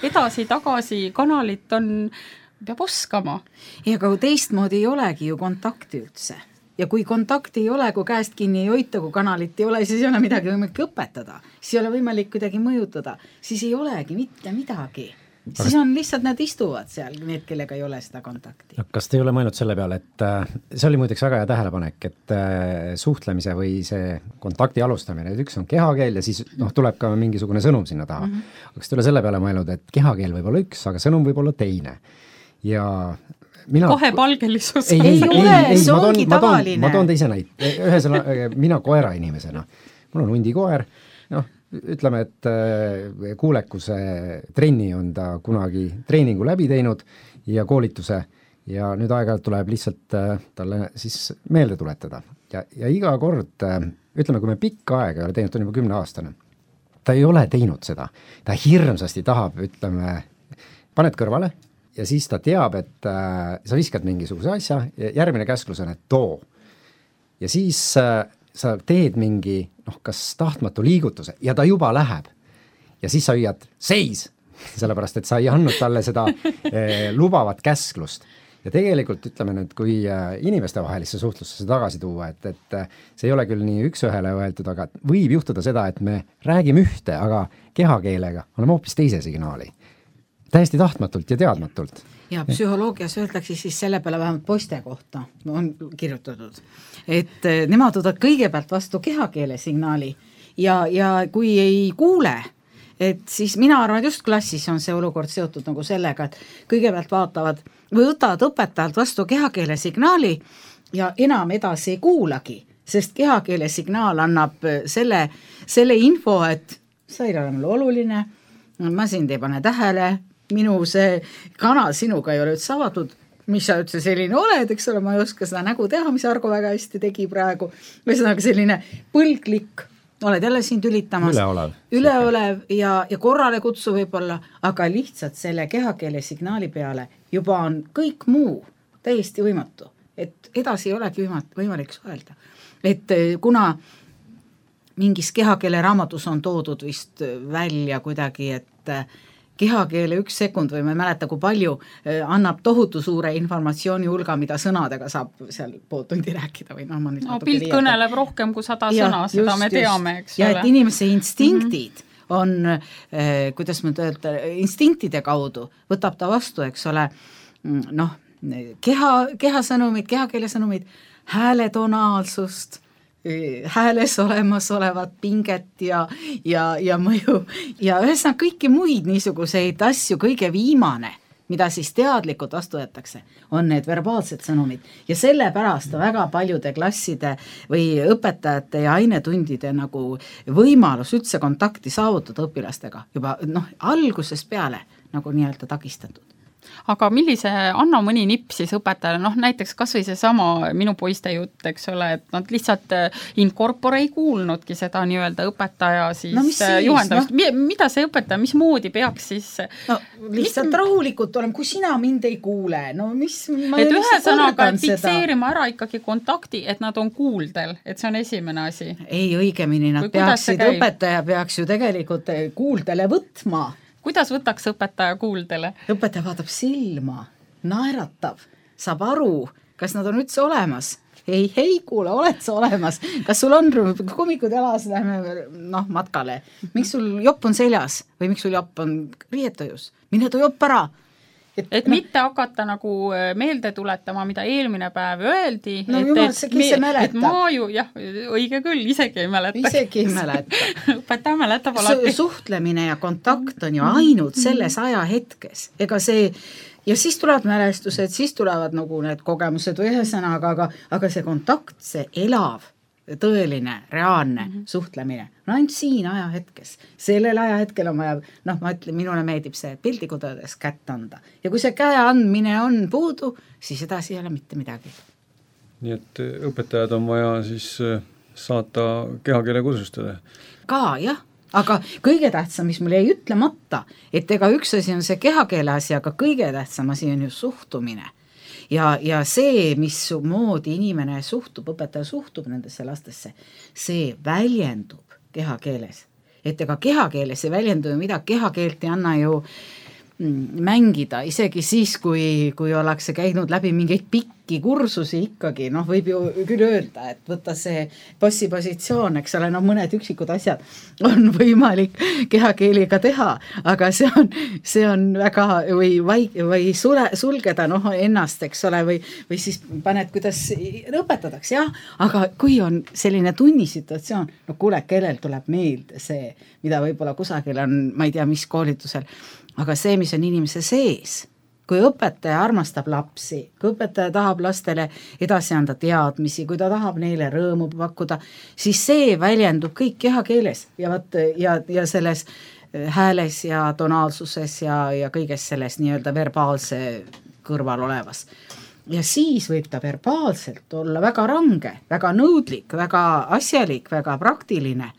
edasi-tagasi kanalit peab oskama. Ja aga teistmoodi ei olegi ju kontakti üldse. Ja kui kontakti ei ole, kui käest kinni ei hoita, kui kanalit ei ole, siis ei ole midagi võimalik õpetada. Siis ei ole võimalik kuidagi mõjutada. Siis ei olegi mitte midagi. Siis on lihtsalt nad istuvad seal, need, kellega ei ole seda kontakti. Kas te ei ole mõelnud selle peale, et see oli muideks väga hea tähelepanek, et suhtlemise või see kontakti alustamine, et üks on kehakeel ja siis tuleb ka mingisugune sõnum sinna taha. Kas te ei ole selle peale mõelnud, et kehakeel võib olla üks, aga sõnum võib olla teine. Ja kahepalgelisus. Ei ole, see ongi tavaline. Ma toon teise näite. Ühesõnaga, mina koera inimesena. Mul on hundikoer. Ütleme, et kuulekuse trenni on ta kunagi treeningu läbi teinud ja koolituse ja nüüd aeg-ajalt tuleb lihtsalt talle siis meelde tuletada. Ja iga kord, ütleme, kui me pikka aega ei ole teinud, ta on juba 10-aastane, ta ei ole teinud seda. Ta hirmsasti tahab, ütleme, paned kõrvale, ja siis ta teab, et sa viskad mingisuguse asja ja järgmine käsklus on, et too. Ja siis sa teed mingi, kas tahtmatu liigutuse ja ta juba läheb. Ja siis sa hüüad seis, sellepärast, et sa ei andnud talle seda lubavat käsklust. Ja tegelikult ütleme nüüd, kui inimeste vahelisse suhtlusse tagasi tuua, et see ei ole küll nii üks-ühele öeldud, aga võib juhtuda seda, et me räägime ühte, aga kehakeelega oleme hoopis teise signaali. Täiesti tahtmatult ja teadmatult. Ja psühholoogias öeldakse siis selle peale vähemalt poiste kohta on kirjutatud, et nemad võtavad kõigepealt vastu kehakeele signaali ja kui ei kuule, et siis mina arvan, et just klassis on see olukord seotud nagu sellega, et kõigepealt vaatavad või võtavad õpetajalt vastu kehakeele signaali ja enam edasi ei kuulagi, sest kehakeele signaal annab selle info, et sa ei ole mulle oluline, ma sind ei pane tähele, minu see kanal sinuga ei ole üldse avatud, mis sa üldse selline oled, eks ole, ma ei oska seda nägu teha, mis Argo väga hästi tegi praegu, ühesõnaga selline põlglik, oled jälle siin tülitamas, üleolev ja korrale kutsu võib-olla, aga lihtsalt selle kehakeele signaali peale juba on kõik muu täiesti võimatu, et edasi ei olegi võimalik suhelda. Et kuna mingis kehakeele raamatus on toodud vist välja kuidagi, et kehakeele 1 sekund või ma ei mäleta, kui palju annab tohutu suure informatsiooni hulga, mida sõnadega saab seal pool tundi rääkida või ma nüüd pilt kõneleb rohkem kui 100 sõna, seda me teame, eks ole. Ja et inimese instinktid on, kuidas ma öelda, instinktide kaudu võtab ta vastu, eks ole, kehasõnumid, kehakeele sõnumid, hääletonaalsust, hääles olemas olevat pinget ja mõju ja ühesõnaga kõiki muid niisuguseid asju, kõige viimane, mida siis teadlikult vastu võetakse, on need verbaalsed sõnumid ja sellepärast väga paljude klasside või õpetajate ja ainetundide nagu võimalus üldse kontakti saavutada õpilastega juba algusest peale nagu nii-öelda takistatud. Aga millise, anna mõni nipp siis õpetajale, näiteks kas või see sama minu poiste jutt, eks ole, et nad lihtsalt incorpore ei kuulnudki seda nii-öelda õpetaja siis juhendamist. Mida see õpetaja, mismoodi peaks siis... lihtsalt rahulikult olema, kui sina mind ei kuule, et ühesõnaga fikseerima ära ikkagi kontakti, et nad on kuuldel, et see on esimene asi. Ei, õigemini nad õpetaja peaks ju tegelikult kuuldele võtma. Kuidas võtaks õpetaja kuuldele? Õpetaja vaatab silma, naeratab, saab aru, kas nad on üldse olemas. Hei, kuule, oled sa olemas? Kas sul on kummikud jalas, lähme matkale? Miks sul jopp on seljas või miks sul jopp on riietojus? Mine too jopp ära. Et mitte hakata nagu meelde tuletama, mida eelmine päev öeldi. et ma ju, õige küll, isegi ei mäleta. Õpetaja mäletab alati. Suhtlemine ja kontakt on ju ainult selles ajahetkes. Ega see, ja siis tulevad mälestused, siis tulevad nagu need kogemused või ühesõnaga, aga see kontakt, see elav, tõeline, reaalne suhtlemine. Ainult siin ajahetkes. Sellel ajahetkel on vaja, ma ütlen, minule meeldib see pildikudades kätt anda. Ja kui see käe andmine on puudu, siis edasi ei ole mitte midagi. Nii et õpetajad on vaja siis saata kehakeele kursustele. Ka, jah. Aga kõige tähtsam, mis mul jäi ütlemata, et ega üks asi on see kehakeele asi, aga kõige tähtsam asi on ju suhtumine. Ja see, mis moodi inimene suhtub, õpetaja suhtub nendesse lastesse, see väljendub kehakeeles. Et ega kehakeeles ei väljendu mida, kehakeelt ei anna ju mängida, isegi siis, kui ollakse käinud läbi mingeid pikki kursusi ikkagi, võib ju küll öelda, et võtta see bossipositsioon, eks ole, mõned üksikud asjad on võimalik kehakeeliga teha, aga see on väga, või sulgeda ennast, eks ole, või siis paned, kuidas õpetatakse, jah, aga kui on selline tunnisituatsioon, kuule, kellel tuleb meelde see, mida võib-olla kusagil on, ma ei tea, mis koolitusel, aga see, mis on inimese sees, kui õpetaja armastab lapsi, kui õpetaja tahab lastele edasi anda teadmisi, kui ta tahab neile rõõmu pakkuda, siis see väljendub kõik kehakeeles ja selles hääles ja tonaalsuses ja kõiges selles nii-öelda verbaalse kõrval olevas. Ja siis võib ta verbaalselt olla väga range, väga nõudlik, väga asjalik, väga praktiline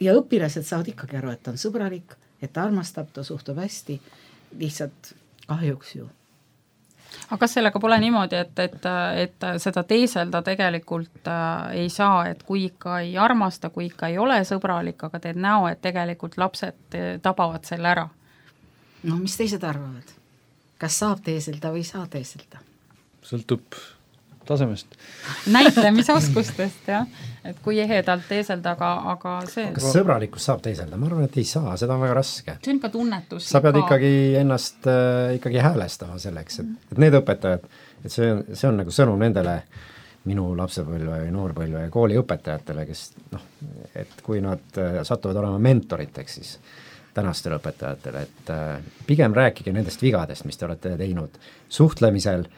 ja õpilased saavad ikkagi aru, et ta on sõbralik, et ta armastab, ta suhtub hästi, lihtsalt kahjuks ju. Aga kas sellega pole niimoodi, et seda teeselda tegelikult ei saa, et kui ikka ei armasta, kui ikka ei ole sõbralik, aga teed näo, et tegelikult lapsed tabavad selle ära? Mis teised arvavad? Kas saab teeselda või ei saa teeselda? Sõltub tasemest. Näitlemisoskustest, jah. Et kui ehedalt teeselda, aga see... Kas sõbralikkus saab teeselda? Ma arvan, et ei saa, seda on väga raske. See on ka tunnetus. Sa pead ikkagi ennast ikkagi häälestama selleks, et need õpetajad, et see on nagu sõnum nendele minu lapsepõlve või noorpõlve ja kooli õpetajatele, kes et kui nad satuvad olema mentoriteks, siis tänastele õpetajatele, et pigem rääkige nendest vigadest, mis te olete teinud suhtlemisel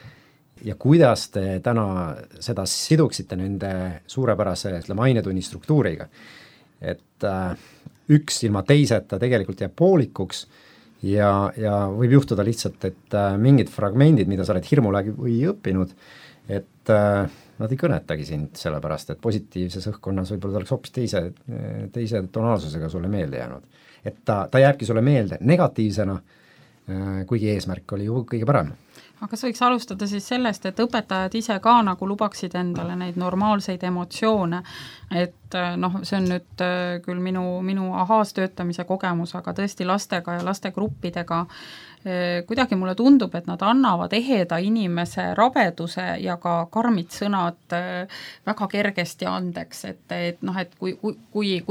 ja kuidas te täna seda siduksite nende suurepärase ainetunni struktuuriga. Et üks ilma teiseta tegelikult jääb poolikuks ja võib juhtuda lihtsalt, et mingid fragmendid, mida sa oled hirmu läbi või õppinud, et nad ei kõnetagi sind sellepärast, et positiivses õhkkonnas võib-olla ta oleks hoopis teise tonaalsusega sulle meelde jäänud. Et ta jääbki sulle meelde negatiivsena, kuigi eesmärk oli ju kõige parem. aga kas võiks alustada siis sellest, et õpetajad ise ka nagu lubaksid endale neid normaalseid emotsioone, et noh, see on nüüd küll minu ahaas töötamise kogemus, aga tõesti lastega ja lastegruppidega kuidagi mulle tundub, et nad annavad eheda inimese rabeduse ja ka karmid sõnad väga kergesti andeks, et noh, et kui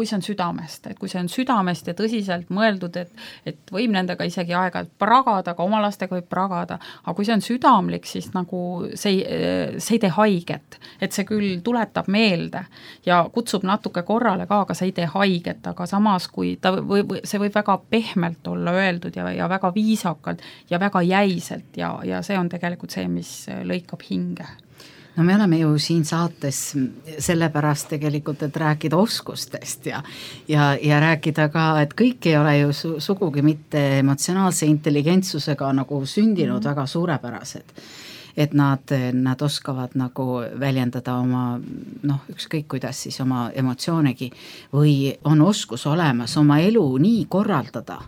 see on südamest, et kui see on südamest ja tõsiselt mõeldud, et võib nendega isegi aeg-ajalt pragada, aga oma lastega võib pragada, aga kui see on südamlik, siis nagu see ei tee haiget, et see küll tuletab meelde ja kutsub natuke korrale ka, aga see ei tee haiget, aga samas kui see võib väga pehmelt olla öeldud ja väga viisakalt ja väga jäiselt ja see on tegelikult see, mis lõikab hinge. No me oleme ju siin saates sellepärast tegelikult, et rääkida oskustest ja rääkida ka, et kõik ei ole ju sugugi mitte emotsionaalse intelligentsusega nagu sündinud väga suurepärased. Et nad oskavad nagu väljendada oma, noh, ükskõik kuidas siis oma emotsioonegi või on oskus olemas oma elu nii korraldada,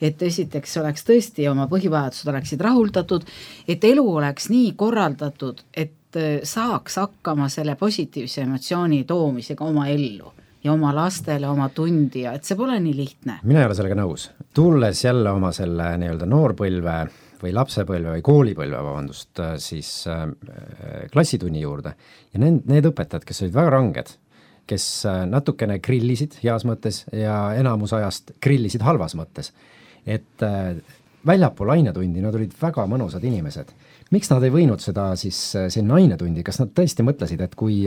et esiteks oleks tõesti oma põhivajadused oleksid rahuldatud, et elu oleks nii korraldatud, et saaks hakkama selle positiivse emotsiooni toomisega oma ellu ja oma lastele, oma tundi ja et see pole nii lihtne. Mina ei ole sellega nõus. Tulles jälle oma selle nii-öelda noorpõlve või lapsepõlve või koolipõlve, siis klassitunni juurde ja need õpetajad, kes olid väga ranged, kes natukene grillisid heas mõttes ja enamus ajast grillisid halvas mõttes, et väljapool ainetundi nad olid väga mõnusad inimesed. Miks nad ei võinud seda siis sinna ainetundi, kas nad tõesti mõtlesid, et kui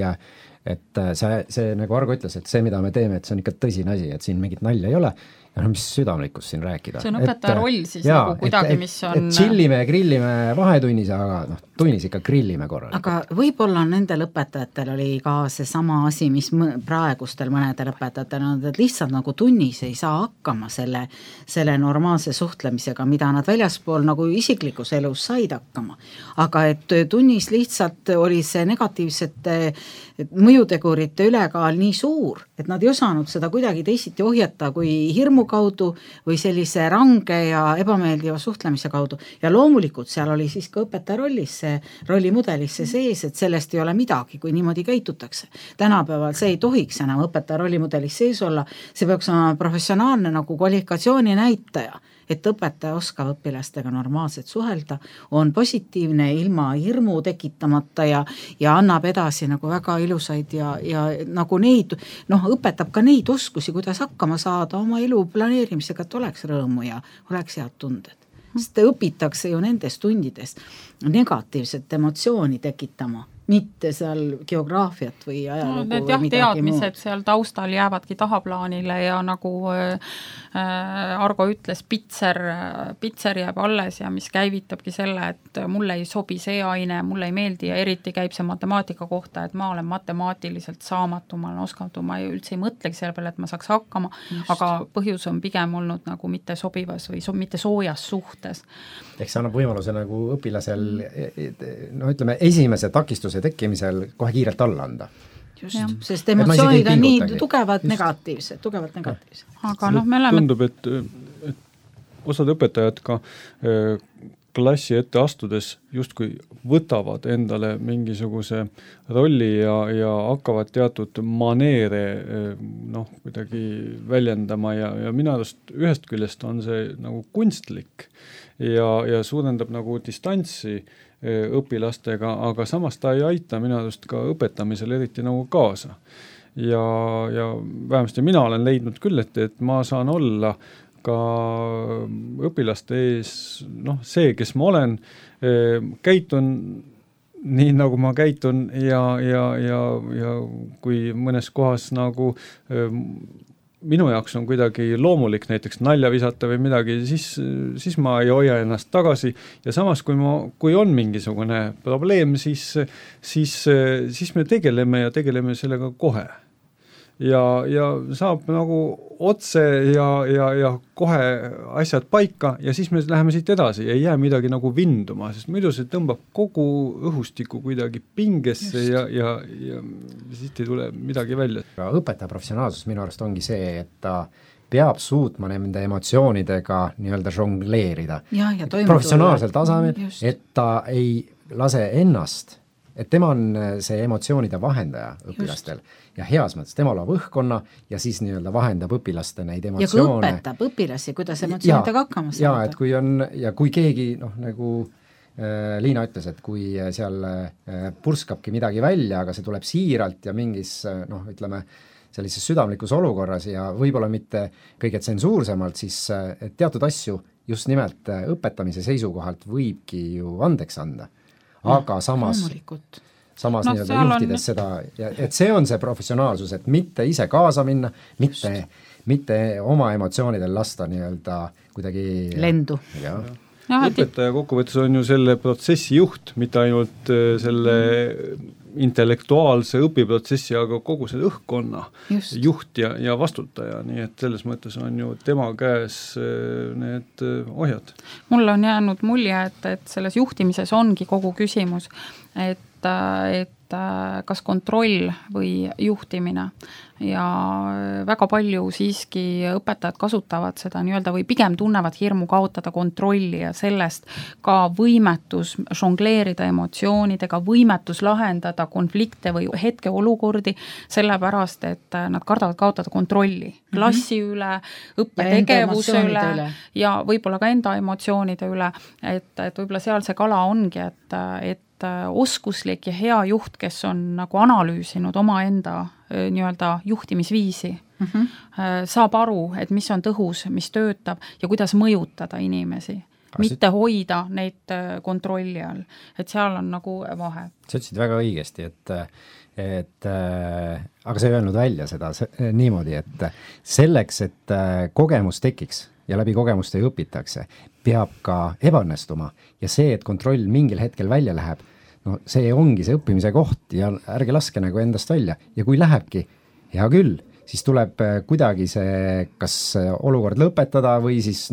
see nagu Argo ütles, et see, mida me teeme, et see on ikka tõsine asi, et siin mingit nalja ei ole, ja mis südamlikkus siin rääkida. See on õpetaja roll siis nagu kuidagi, mis on... Et chillime ja grillime vahetunnis, aga tunnis ikka grillime korralikult. Aga võib-olla nendel õpetajatel oli ka see sama asi, mis praegustel mõnedel õpetajatel on, et lihtsalt nagu tunnis ei saa hakkama selle normaalse suhtlemisega, mida nad väljaspool nagu isiklikus elus said hakkama. Aga et tunnis lihtsalt oli see negatiivsete mõjutegurite ülekaal nii suur, et nad ei osanud seda kuidagi teisiti ohjata kui hirmu kaudu või sellise range ja ebameeldiva suhtlemise kaudu. Ja loomulikult seal oli siis ka õpetaja rollimudelisse sees, et sellest ei ole midagi, kui niimoodi käitutakse. Tänapäeval see ei tohiks enam õpetaja rollimudelis sees olla, see peaks olema professionaalne nagu kvalifikatsiooni näitaja, et õpetaja oskab õpilastega normaalselt suhelda, on positiivne ilma hirmu tekitamata ja annab edasi nagu väga ilusaid ja nagu neid, noh, õpetab ka neid oskusi, kuidas hakkama saada oma elu planeerimisega, et oleks rõõmu ja oleks head tunded. Sest õpitakse ju nendest tundidest negatiivset emotsiooni tekitama, mitte seal geograafiat või ajalugu või midagi muud. Teadmised seal taustal jäävadki tahaplaanile ja nagu Argo ütles, pitser jääb alles ja mis käivitabki selle, et mulle ei sobi see aine, mulle ei meeldi ja eriti käib see matemaatika kohta, et ma olen matemaatiliselt saamatu, ma olen oskamatu, ma üldse ei mõtlegi selle peale, et ma saaks hakkama, aga põhjus on pigem olnud nagu mitte sobivas või mitte soojas suhtes. Ehk see annab võimaluse nagu õpilasel, no ütleme, esimese takistuse tekkimisel kohe kiirelt alla anda. Just, sest emotsioonid on nii tugevad negatiivsed. Aga noh, me oleme... Tundub, et osad õpetajad ka klassi ette astudes justkui võtavad endale mingisuguse rolli ja hakkavad teatud maneere kuidagi väljendama ja minu arust ühest küljest on see nagu kunstlik ja suurendab nagu distantsi õpilastega, aga samas ta ei aita minu arust ka õpetamisel eriti nagu kaasa. Ja vähemasti mina olen leidnud küll, et ma saan olla ka õpilaste ees, see, kes ma olen, käitun nii, nagu ma käitun ja kui mõnes kohas nagu minu jaoks on kuidagi loomulik näiteks nalja visata või midagi, siis ma ei hoia ennast tagasi ja samas, kui on mingisugune probleem, siis me tegeleme sellega kohe. ja saab nagu otse ja kohe asjad paika ja siis me läheme siit edasi, ei jää midagi nagu vinduma, sest muidu see tõmbab kogu õhustiku kuidagi pingesse ja siit ei tule midagi välja. Õpetaja professionaalsus minu arust ongi see, et ta peab suutma nende emotsioonidega nii-öelda žongleerida professionaalsel tasemel, et ta ei lase ennast, et tema on see emotsioonide vahendaja õpilastel ja heas mõttes, tema loob õhkkonna ja siis nii-öelda vahendab õpilaste neid emotsioone. Ja kui õpetab õpilasi, kuidas emotsioonidega hakkama saada. Ja kui keegi, nagu Liina ütles, et kui seal purskabki midagi välja, aga see tuleb siiralt ja mingis, ütleme, sellises südamlikus olukorras ja võib-olla mitte kõige tsensuursemalt, siis teatud asju just nimelt õpetamise seisukohalt võibki ju andeks anda. Aga samas nii-öelda juhtides seda, et see on see professionaalsus, et mitte ise kaasa minna, mitte oma emotsioonidel lasta nii-öelda kuidagi lendu. Õpetaja kokkuvõttes on ju selle protsessi juht, mitte ainult selle intellektuaalse õpiprotsessi, aga kogu selle õhkkonna juht ja vastutaja, nii et selles mõttes on ju tema käes need ohjad. Mulle on jäänud mulje, et selles juhtimises ongi kogu küsimus, et kas kontroll või juhtimine ja väga palju siiski õpetajad kasutavad seda nii-öelda või pigem tunnevad hirmu kaotada kontrolli ja sellest ka võimetus žongleerida emotsioonidega, võimetus lahendada konflikte või hetkeolukordi, sellepärast, et nad kardavad kaotada kontrolli klassi üle, õppetegevuse üle ja võib-olla ka enda emotsioonide üle, et võib-olla seal see kala ongi, et oskuslik ja hea juht, kes on nagu analüüsinud omaenda nii-öelda juhtimisviisi, saab aru, et mis on tõhus, mis töötab ja kuidas mõjutada inimesi, mitte hoida neid kontrolli all. Et seal on nagu vahe. Sa ütlesid väga õigesti, aga sa ei öelnud välja seda niimoodi, et selleks, et kogemus tekiks ja läbi kogemuste õpitakse, peab ka ebaõnnestuma ja see, et kontroll mingil hetkel välja läheb, see ongi see õppimise koht ja ärge laske nagu endast välja ja kui lähebki, hea küll, siis tuleb kuidagi see kas olukord lõpetada või siis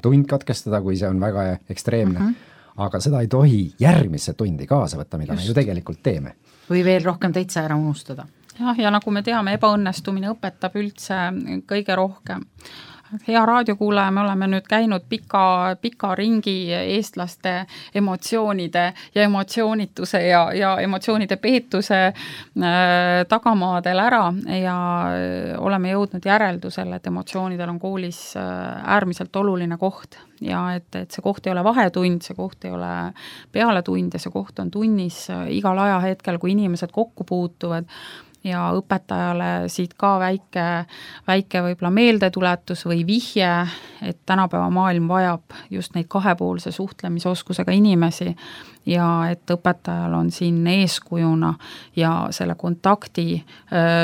tund katkestada, kui see on väga ekstreemne, aga seda ei tohi järgmisse tundi kaasa võtta, mida me ju tegelikult teeme. Või veel rohkem täitsa ära unustada. Ja nagu me teame, ebaõnnestumine õpetab üldse kõige rohkem. Hea raadiokuulaja, me oleme nüüd käinud pika ringi eestlaste emotsioonide ja emotsioonituse ja emotsioonide peetuse tagamaadel ära ja oleme jõudnud järeldusele, et emotsioonidel on koolis äärmiselt oluline koht ja et see koht ei ole vahetund, see koht ei ole pealetund ja see koht on tunnis igal ajahetkel, kui inimesed kokku puutuvad ja õpetajale siit ka väike võib-olla meeldetuletus või vihje, et tänapäeva maailm vajab just neid kahepoolse suhtlemisoskusega inimesi ja et õpetajal on siin eeskujuna ja selle kontakti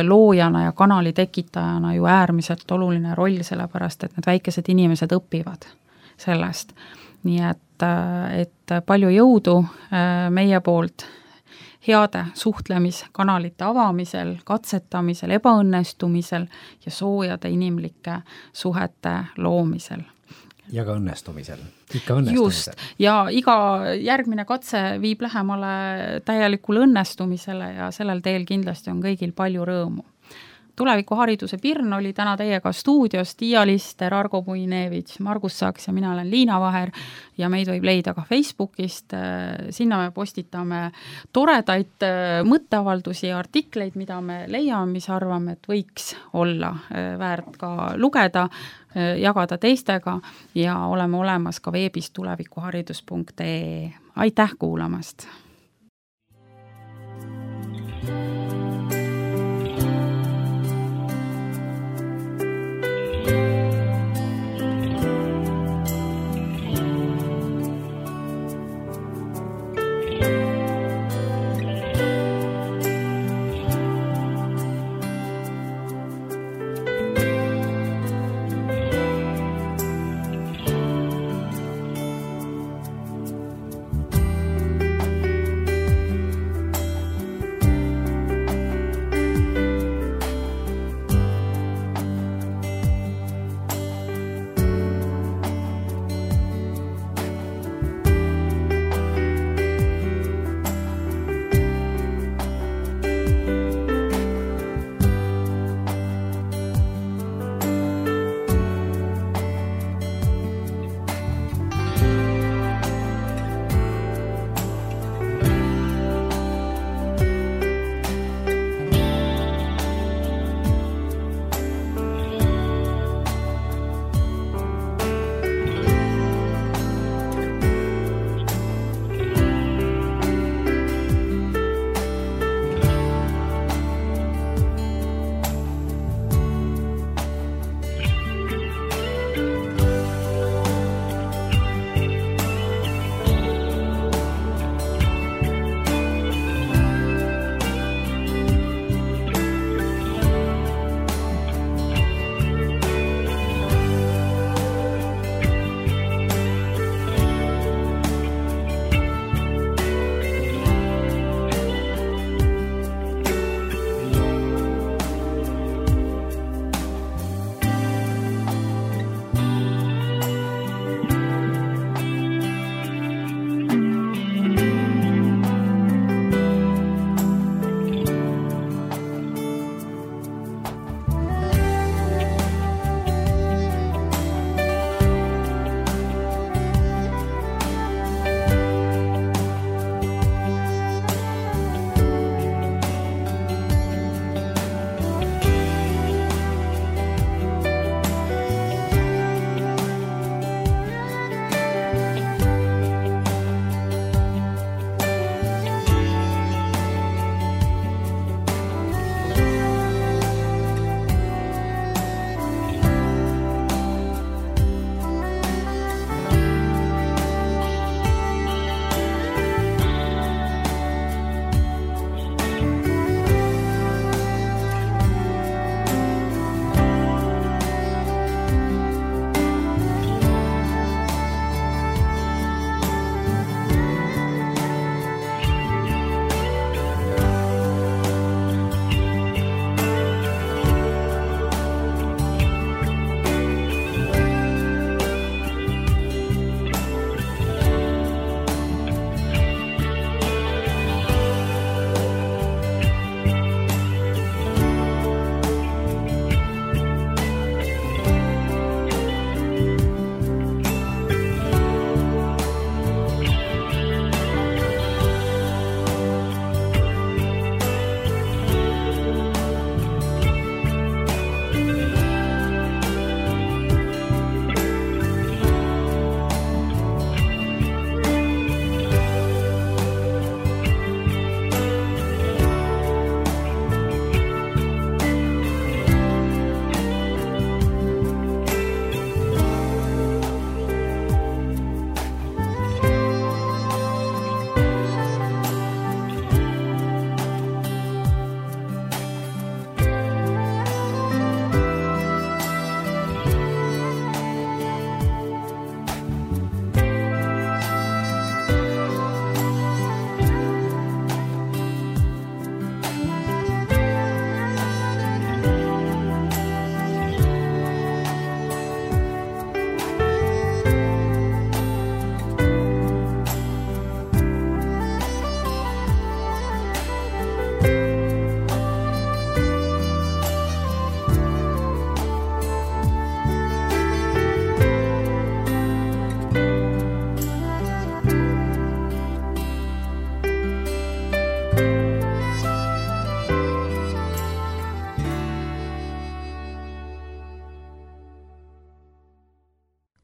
loojana ja kanali tekitajana ju äärmiselt oluline roll, sellepärast et need väikesed inimesed õpivad sellest. Nii et palju jõudu meie poolt heade suhtlemiskanalite avamisel, katsetamisel, ebaõnnestumisel ja soojade inimlike suhete loomisel. Ja ka õnnestumisel. Ikka õnnestumisel. Just. Ja iga järgmine katse viib lähemale täielikule õnnestumisele ja sellel teel kindlasti on kõigil palju rõõmu. Tulevikuhariduse Pirn oli täna teiega stuudios, Tiia Lister, Argo Puinevitš, Margus Saks ja mina olen Liina Vaher ja meid võib leida ka Facebookist. Sinna me postitame toredaid mõtteavaldusi ja artikleid, mida me leiame, mis arvame, et võiks olla väärt ka lugeda, jagada teistega ja oleme olemas ka veebis tulevikuharidus.ee. Aitäh kuulamast!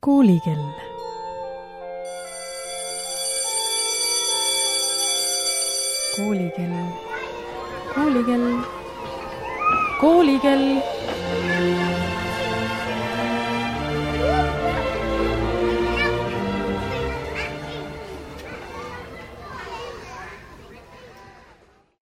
Koolikell. Koolikell. Koolikell. Koolikell.